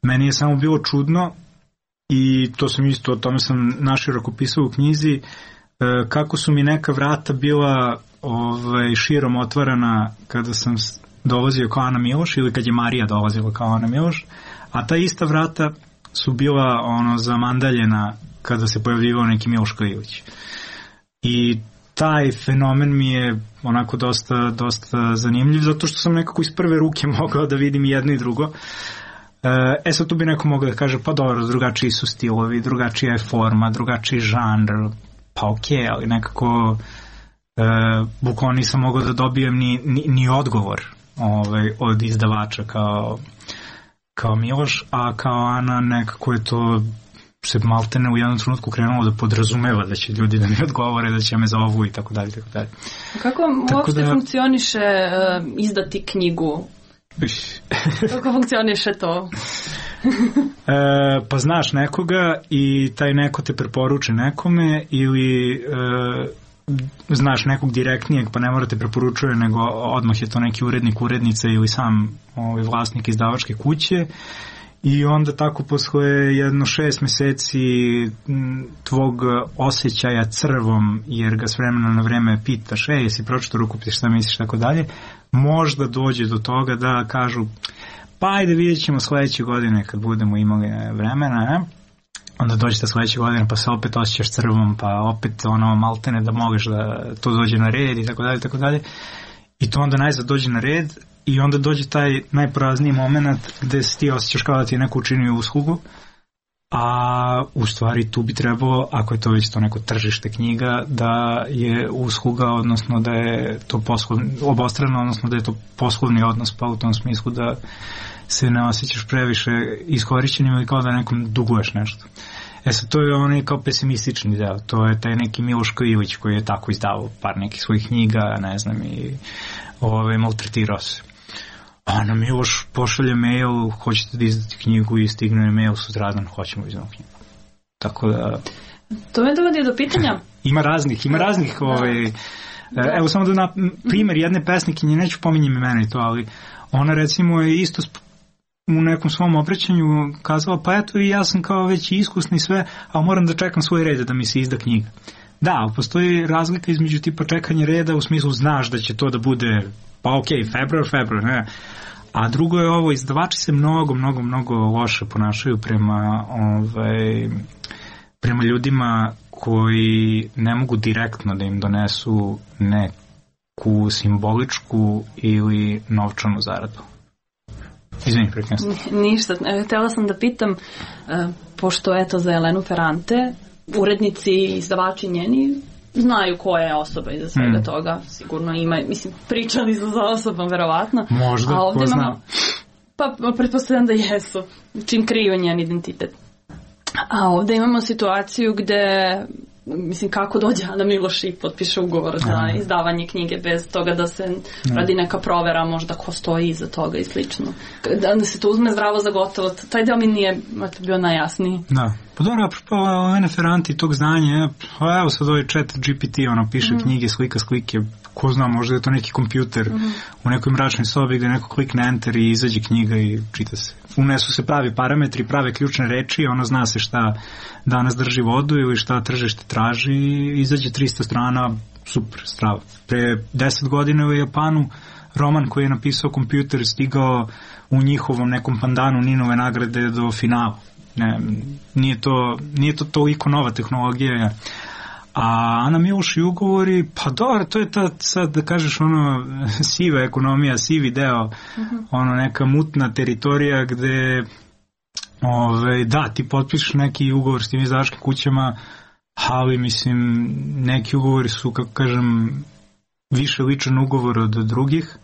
Meni je samo bilo čudno i to sam isto, o tome sam naširoko pisao u knjizi, e, kako su mi neka vrata bila ovaj, širom otvarana kada sam dolazio kao Ana Miloš ili kad je Marija dolazila kao Ana Miloš, a ta ista vrata su bila ono zamandaljena kada se pojavljivao neki Miloš Krilić. I taj fenomen mi je onako dosta, dosta zanimljiv, zato što sam nekako iz prve ruke mogao da vidim jedno i drugo. E sad tu bi neko mogao da kaže, pa dobro, drugačiji su stilovi, drugačija je forma, drugačiji žanr, pa okej, okay, ali nekako e, bukvalno nisam mogao da dobijem ni, ni, ni odgovor ovaj, od izdavača kao, kao Miloš, a kao Ana nekako je to se maltene u jednom trenutku krenulo da podrazumeva da će ljudi da mi odgovore, da će me zovu i tako dalje, tako dalje. Kako uopšte da funkcioniše uh, izdati knjigu? Kako funkcioniše to? e, pa znaš nekoga i taj neko te preporuči nekome ili e, znaš nekog direktnijeg pa ne mora te preporučuje nego odmah je to neki urednik, urednica ili sam ovaj, vlasnik izdavačke kuće i onda tako posle jedno šest meseci tvog osjećaja crvom jer ga s vremena na vreme pitaš e, jesi pročito rukopis, šta misliš, tako dalje, možda dođe do toga da kažu pa ajde vidjet ćemo sledeće godine kad budemo imali vremena, ne? Onda dođete sledeće godine pa se opet osjećaš crvom pa opet ono maltene da možeš da to dođe na red i tako dalje, tako dalje. I to onda najzad dođe na red i onda dođe taj najporazniji moment gde se ti osjećaš kao da ti je neko učinio uslugu, a u stvari tu bi trebalo, ako je to već to neko tržište knjiga, da je usluga, odnosno da je to poslovni, obostrano, odnosno da je to poslovni odnos, pa u tom smislu da se ne osjećaš previše iskorišćenim ili kao da nekom duguješ nešto. E sad, to je onaj kao pesimistični deo, to je taj neki Miloš Krilić koji je tako izdavao par nekih svojih knjiga, ne znam, i ove, maltretirao se. A na Miloš pošalje mail, hoćete da izdati knjigu i stigne mail sutradan, hoćemo izdati knjigu. Tako da... To me dovodi do pitanja. Ima raznih, ima raznih, da. Ovaj, da. Evo samo da na primjer jedne pesnikinje, neću pominjem imena i to, ali ona recimo je isto u nekom svom obraćanju kazala, pa eto i ja sam kao već iskusni sve, a moram da čekam svoj red da mi se izda knjiga. Da, ali postoji razlika između tipa čekanja reda u smislu znaš da će to da bude pa okej, okay, februar, februar, ne. A drugo je ovo, izdavači se mnogo, mnogo, mnogo loše ponašaju prema, ovaj, prema ljudima koji ne mogu direktno da im donesu neku simboličku ili novčanu zaradu. Izvini, prekrenstvo. Ništa, htjela sam da pitam, pošto eto za Elenu Ferrante urednici i izdavači njeni znaju koja je osoba iza svega mm. toga. Sigurno ima, mislim, pričali su za osobom, verovatno. Možda, a ovdje ko zna. Imamo, pa pretpostavljam da jesu, čim kriju njen identitet. A ovdje imamo situaciju gde, mislim, kako dođe Ana Miloš i potpiše ugovor za Aha. izdavanje knjige bez toga da se mm. radi neka provera, možda ko stoji iza toga i slično. Da se to uzme zdravo za gotovo, taj deo mi nije bio najjasniji. Da. Pa dobro, apropo ove neferanti tog znanja, pa evo sad ovaj chat G P T, ono, piše mm. knjige, slika slike, ko zna, možda je to neki kompjuter mm. u nekoj mračnoj sobi gde neko klikne enter i izađe knjiga i čita se. Unesu se pravi parametri, prave ključne reči, ono zna se šta danas drži vodu ili šta tržište traži i izađe trista strana, super, strava. Pre deset godina u Japanu roman koji je napisao kompjuter stigao u njihovom nekom pandanu Ninove nagrade do finala. Ne, nije to, nije to toliko nova tehnologija. A Ana Miloš i ugovori, pa dobro, to je ta, sad da kažeš, ono, siva ekonomija, sivi deo, uh-huh. ono, neka mutna teritorija gde, ove, da, ti potpišeš neki ugovor s tim izdavačkim kućama, ali, mislim, neki ugovori su, kako kažem, više ličan ugovor od drugih,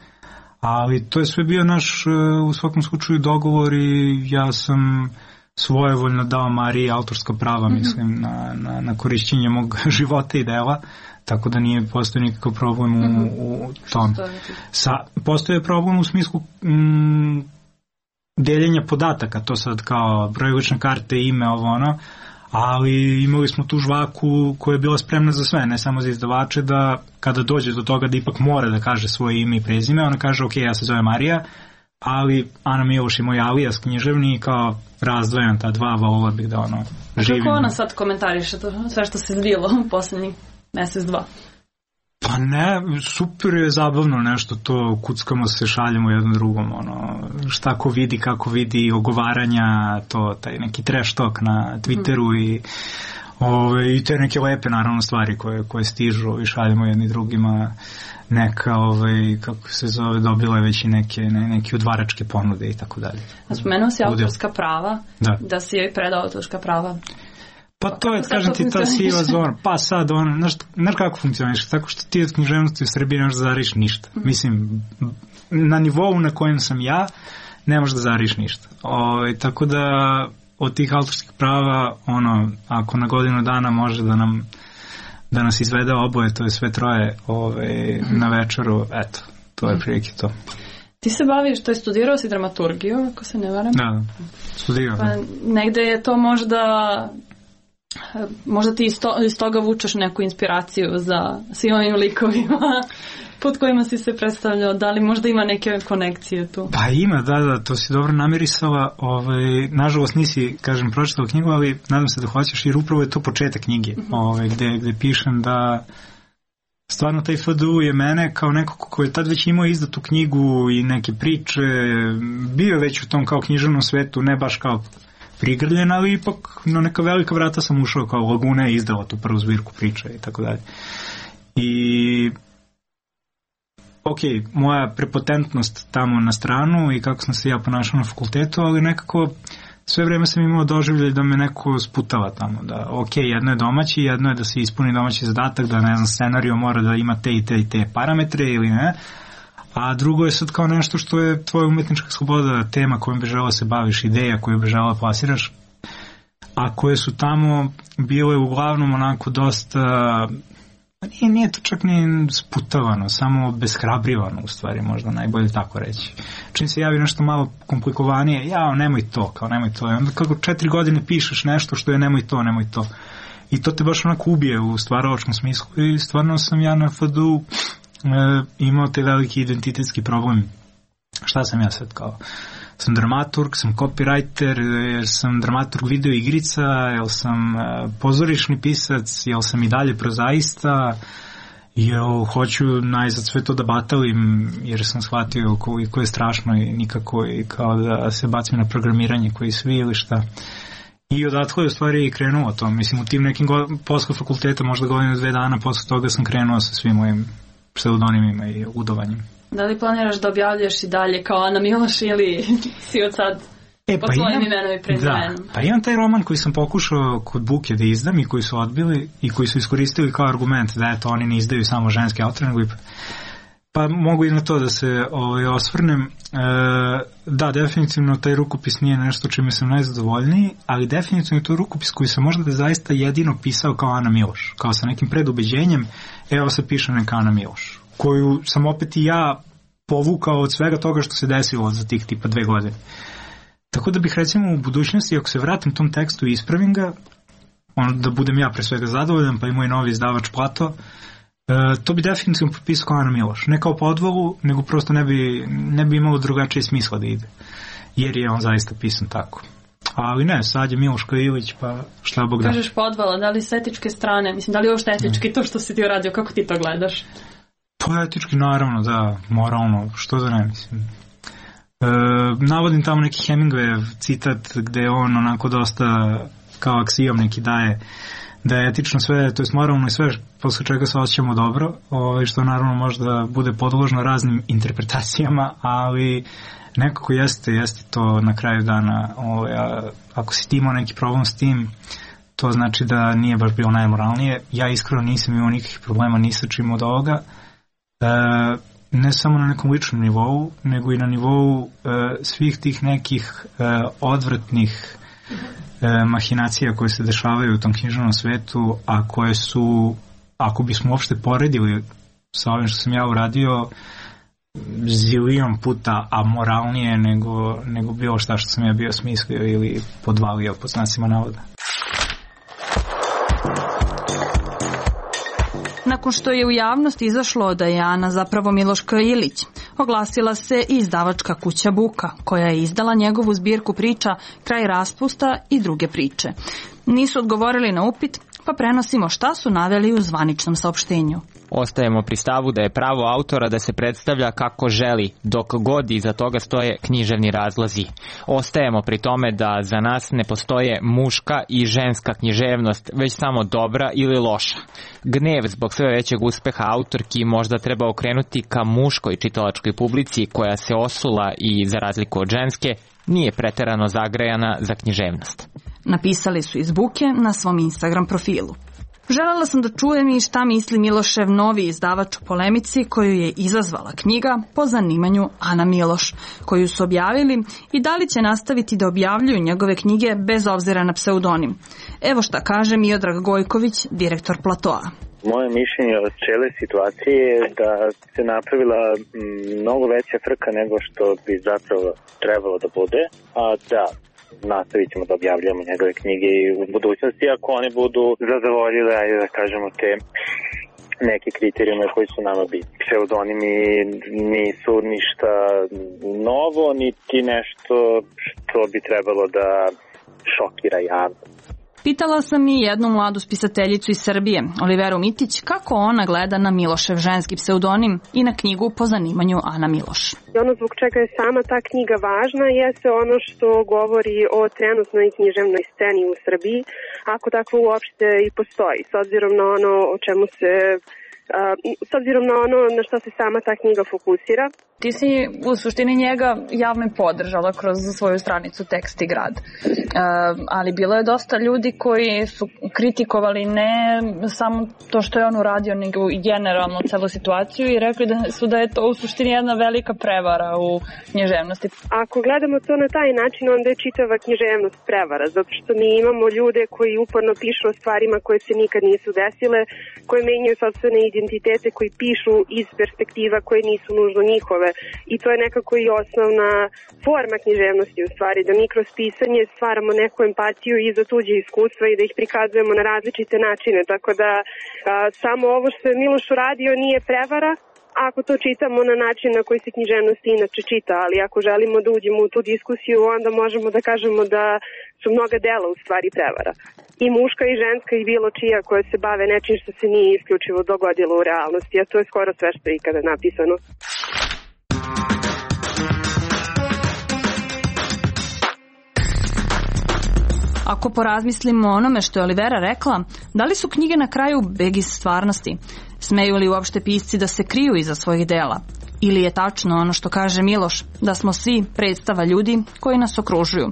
ali to je sve bio naš, u svakom slučaju, dogovor i ja sam svojevoljno dao Mariji autorska prava, mm-hmm. mislim, na, na, na korišćenje mog života i dela, tako da nije postoji nikakav problem u, mm-hmm. u tom. Sa, postoje problem u smislu mm, deljenja podataka, to sad kao broj lične karte, ime, ovo ono, ali imali smo tu žvaku koja je bila spremna za sve, ne samo za izdavače, da kada dođe do toga da ipak mora da kaže svoje ime i prezime, ona kaže, ok, ja se zove Marija, ali Ana Miloš je moj alijas književni i kao razdvajam ta dva, volila bih da ono živim. Kako ona sad komentariše to, sve što se zbilo u poslednjih mesec, dva? Pa ne, super je zabavno nešto to, kuckamo se, šaljemo jednom drugom, ono, šta ko vidi, kako vidi, ogovaranja, to, taj neki trash talk na Twitteru mm. i ove, i te neke lepe naravno stvari koje, koje stižu i šaljemo jedni drugima, neka, ovaj, kako se zove, dobila je već i neke, ne, neke udvaračke ponude i tako dalje. A spomenuo si autorska prava, da, da si joj predao autorska prava. Pa to je, kažem ti, ta siva zona. Pa sad, ono, znaš, znaš kako funkcioniš, tako što ti od književnosti u Srbiji ne možeš da zariš ništa. Mm. Mislim, na nivou na kojem sam ja, ne možeš da zariš ništa. O, tako da, od tih autorskih prava, ono, ako na godinu dana može da nam da nas izvede oboje, to je sve troje ove, na večeru, eto, to je prilike to. Ti se baviš, to je studirao si dramaturgiju, ako se ne varam? Da, studirao. Pa negde je to možda, možda ti iz, to, iz toga vučeš neku inspiraciju za svim ovim likovima pod kojima si se predstavljao, da li možda ima neke konekcije tu? Pa ima, da, da, to si dobro namirisala, ovaj, nažalost nisi, kažem, pročitala knjigu, ali nadam se da hoćeš, jer upravo je to početak knjige, mm-hmm. ovaj, gde, gde pišem da stvarno taj F D U je mene kao neko ko je tad već imao izdatu knjigu i neke priče, bio već u tom kao književnom svetu, ne baš kao prigrljen, ali ipak na neka velika vrata sam ušao, kao Laguna je izdala tu prvu zbirku priča i tako dalje. I ok, moja prepotentnost tamo na stranu i kako sam se ja ponašao na fakultetu, ali nekako sve vreme sam imao doživljaj da me neko sputava tamo, da ok, jedno je domaći, jedno je da se ispuni domaći zadatak, da ne znam, scenario mora da ima te i te i te parametre ili ne, a drugo je sad kao nešto što je tvoja umetnička sloboda, tema kojom bi želao se baviš, ideja koju bi želao plasiraš, a koje su tamo bile uglavnom onako dosta, nije, nije to čak ni sputavano, samo beshrabrivano u stvari, možda najbolje tako reći. Čim se javi nešto malo komplikovanije, jao, nemoj to, kao nemoj to. I onda kako četiri godine pišeš nešto što je nemoj to, nemoj to. I to te baš onako ubije u stvaralačkom smislu i stvarno sam ja na F D U e, imao te veliki identitetski problem. Šta sam ja sad kao? Sam dramaturg, sam copywriter, jer sam dramaturg video igrica, jel sam pozorišni pisac, jel sam i dalje prozaista, jel hoću najzad sve to da batalim, jer sam shvatio koliko je strašno i nikako i kao da se bacim na programiranje koji svi ili šta. I odatle je u stvari i krenuo to. Mislim, u tim nekim go- posle fakulteta, možda godinu dve dana posle toga sam krenuo sa svim mojim pseudonimima i udovanjem. Da li planiraš da objavljaš i dalje kao Ana Miloš ili si od sad E, pod pa svojim imam, imenom i prezimenom. Da, pa imam taj roman koji sam pokušao kod Buke da izdam i koji su odbili i koji su iskoristili kao argument da eto oni ne izdaju samo ženske autore, nego i pa mogu i na to da se ovaj, osvrnem. E, da, definitivno taj rukopis nije nešto čime sam najzadovoljniji, ali definitivno je to rukopis koji sam možda da zaista jedino pisao kao Ana Miloš, kao sa nekim predubeđenjem, evo se piše neka Ana Miloš, koju sam opet i ja povukao od svega toga što se desilo za tih tipa dve godine. Tako da bih recimo u budućnosti, ako se vratim tom tekstu i ispravim ga, ono da budem ja pre svega zadovoljan, pa i moj novi izdavač Plato, e, to bi definitivno potpisao kao Ana Miloš. Ne kao podvolu, nego prosto ne bi, ne bi imalo drugačije smisla da ide. Jer je on zaista pisan tako. Ali ne, sad je Miloš Ilić, pa šta Bog da. Kažeš podvala, da li s etičke strane, mislim, da li je uopšte etički to što si ti uradio, kako ti to gledaš? Pa etički, naravno, da, moralno, što da ne, mislim. E, navodim tamo neki Hemingwayev citat gde on onako dosta kao aksijom neki daje da je etično sve, to je moralno i sve posle čega se osjećamo dobro, ovaj, što naravno možda bude podložno raznim interpretacijama, ali nekako jeste, jeste to na kraju dana, ovaj, a, ako si ti imao neki problem s tim, to znači da nije baš bilo najmoralnije. Ja iskreno nisam imao nikakvih problema ni sa čim od ovoga, e, ne samo na nekom ličnom nivou, nego i na nivou e, svih tih nekih e, odvratnih e, mahinacija koje se dešavaju u tom književnom svetu, a koje su, ako bismo uopšte poredili sa ovim što sam ja uradio, zilion puta amoralnije nego, nego bilo šta što sam ja bio smislio ili podvalio po znacima navoda. Nakon što je u javnost izašlo da je Ana zapravo Miloš Ilić, oglasila se i izdavačka kuća Buka, koja je izdala njegovu zbirku priča Kraj raspusta i druge priče. Nisu odgovorili na upit, pa prenosimo šta su naveli u zvaničnom saopštenju. Ostajemo pri stavu da je pravo autora da se predstavlja kako želi, dok god iza toga stoje književni razlozi. Ostajemo pri tome da za nas ne postoje muška i ženska književnost, već samo dobra ili loša. Gnev zbog sve većeg uspeha autorki možda treba okrenuti ka muškoj čitalačkoj publici koja se osula i, za razliku od ženske, nije preterano zagrejana za književnost. Napisali su iz Buke na svom Instagram profilu. Želela sam da čujem i šta misli Milošev novi izdavač o polemici koju je izazvala knjiga po zanimanju Ana Miloš, koju su objavili, i da li će nastaviti da objavljuju njegove knjige bez obzira na pseudonim. Evo šta kaže Miodrag Gojković, direktor Platoa. Moje mišljenje od cijele situacije je da se napravila mnogo veća frka nego što bi zapravo trebalo da bude, a da nastavit ćemo da objavljamo njegove knjige i u budućnosti ako oni budu zadovoljile, ajde da kažemo, te neke kriterijume koji su nama bitni. Pseudonimi nisu ništa novo, niti nešto što bi trebalo da šokira javnost. Pitala sam i jednu mladu spisateljicu iz Srbije, Oliveru Mitić, kako ona gleda na Milošev ženski pseudonim i na knjigu po zanimanju Ana Miloš. Ono zbog čega je sama ta knjiga važna jeste ono što govori o trenutnoj književnoj sceni u Srbiji, ako takvo uopšte i postoji, s obzirom na ono o čemu se, s obzirom na ono na što se sama ta knjiga fokusira. Ti si u suštini njega javno podržala kroz svoju stranicu Tekst i grad. E, ali bilo je dosta ljudi koji su kritikovali ne samo to što je on uradio, nego i generalno celu situaciju i rekli da su da je to u suštini jedna velika prevara u književnosti. Ako gledamo to na taj način, onda je čitava književnost prevara, zato što mi imamo ljude koji uporno pišu o stvarima koje se nikad nisu desile, koje menjaju sopstvene identitete, koji pišu iz perspektiva koje nisu nužno njihove. I to je nekako i osnovna forma književnosti u stvari, da mi kroz pisanje stvaramo neku empatiju i za tuđe iskustva i da ih prikazujemo na različite načine, tako da a, samo ovo što je Miloš uradio nije prevara ako to čitamo na način na koji se književnost inače čita, ali ako želimo da uđemo u tu diskusiju, onda možemo da kažemo da su mnoga dela u stvari prevara. I muška i ženska i bilo čija koje se bave nečim što se nije isključivo dogodilo u realnosti, a to je skoro sve što je ikada napisano. Ako porazmislimo o onome što je Olivera rekla, da li su knjige na kraju beg iz stvarnosti? Smeju li uopšte pisci da se kriju iza svojih dela? Ili je tačno ono što kaže Miloš, da smo svi predstava ljudi koji nas okružuju?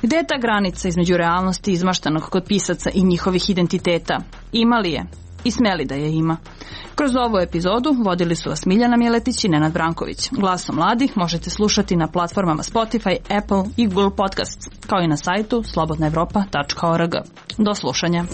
Gde je ta granica između realnosti izmaštanog kod pisaca i njihovih identiteta? Ima li je? I smeli da je ima? Kroz ovu epizodu vodili su vas Miljana Miletić i Nenad Branković. Glasom mladih možete slušati na platformama Spotify, Apple i Google Podcasts, kao i na sajtu slobodna evropa tačka org. Do slušanja.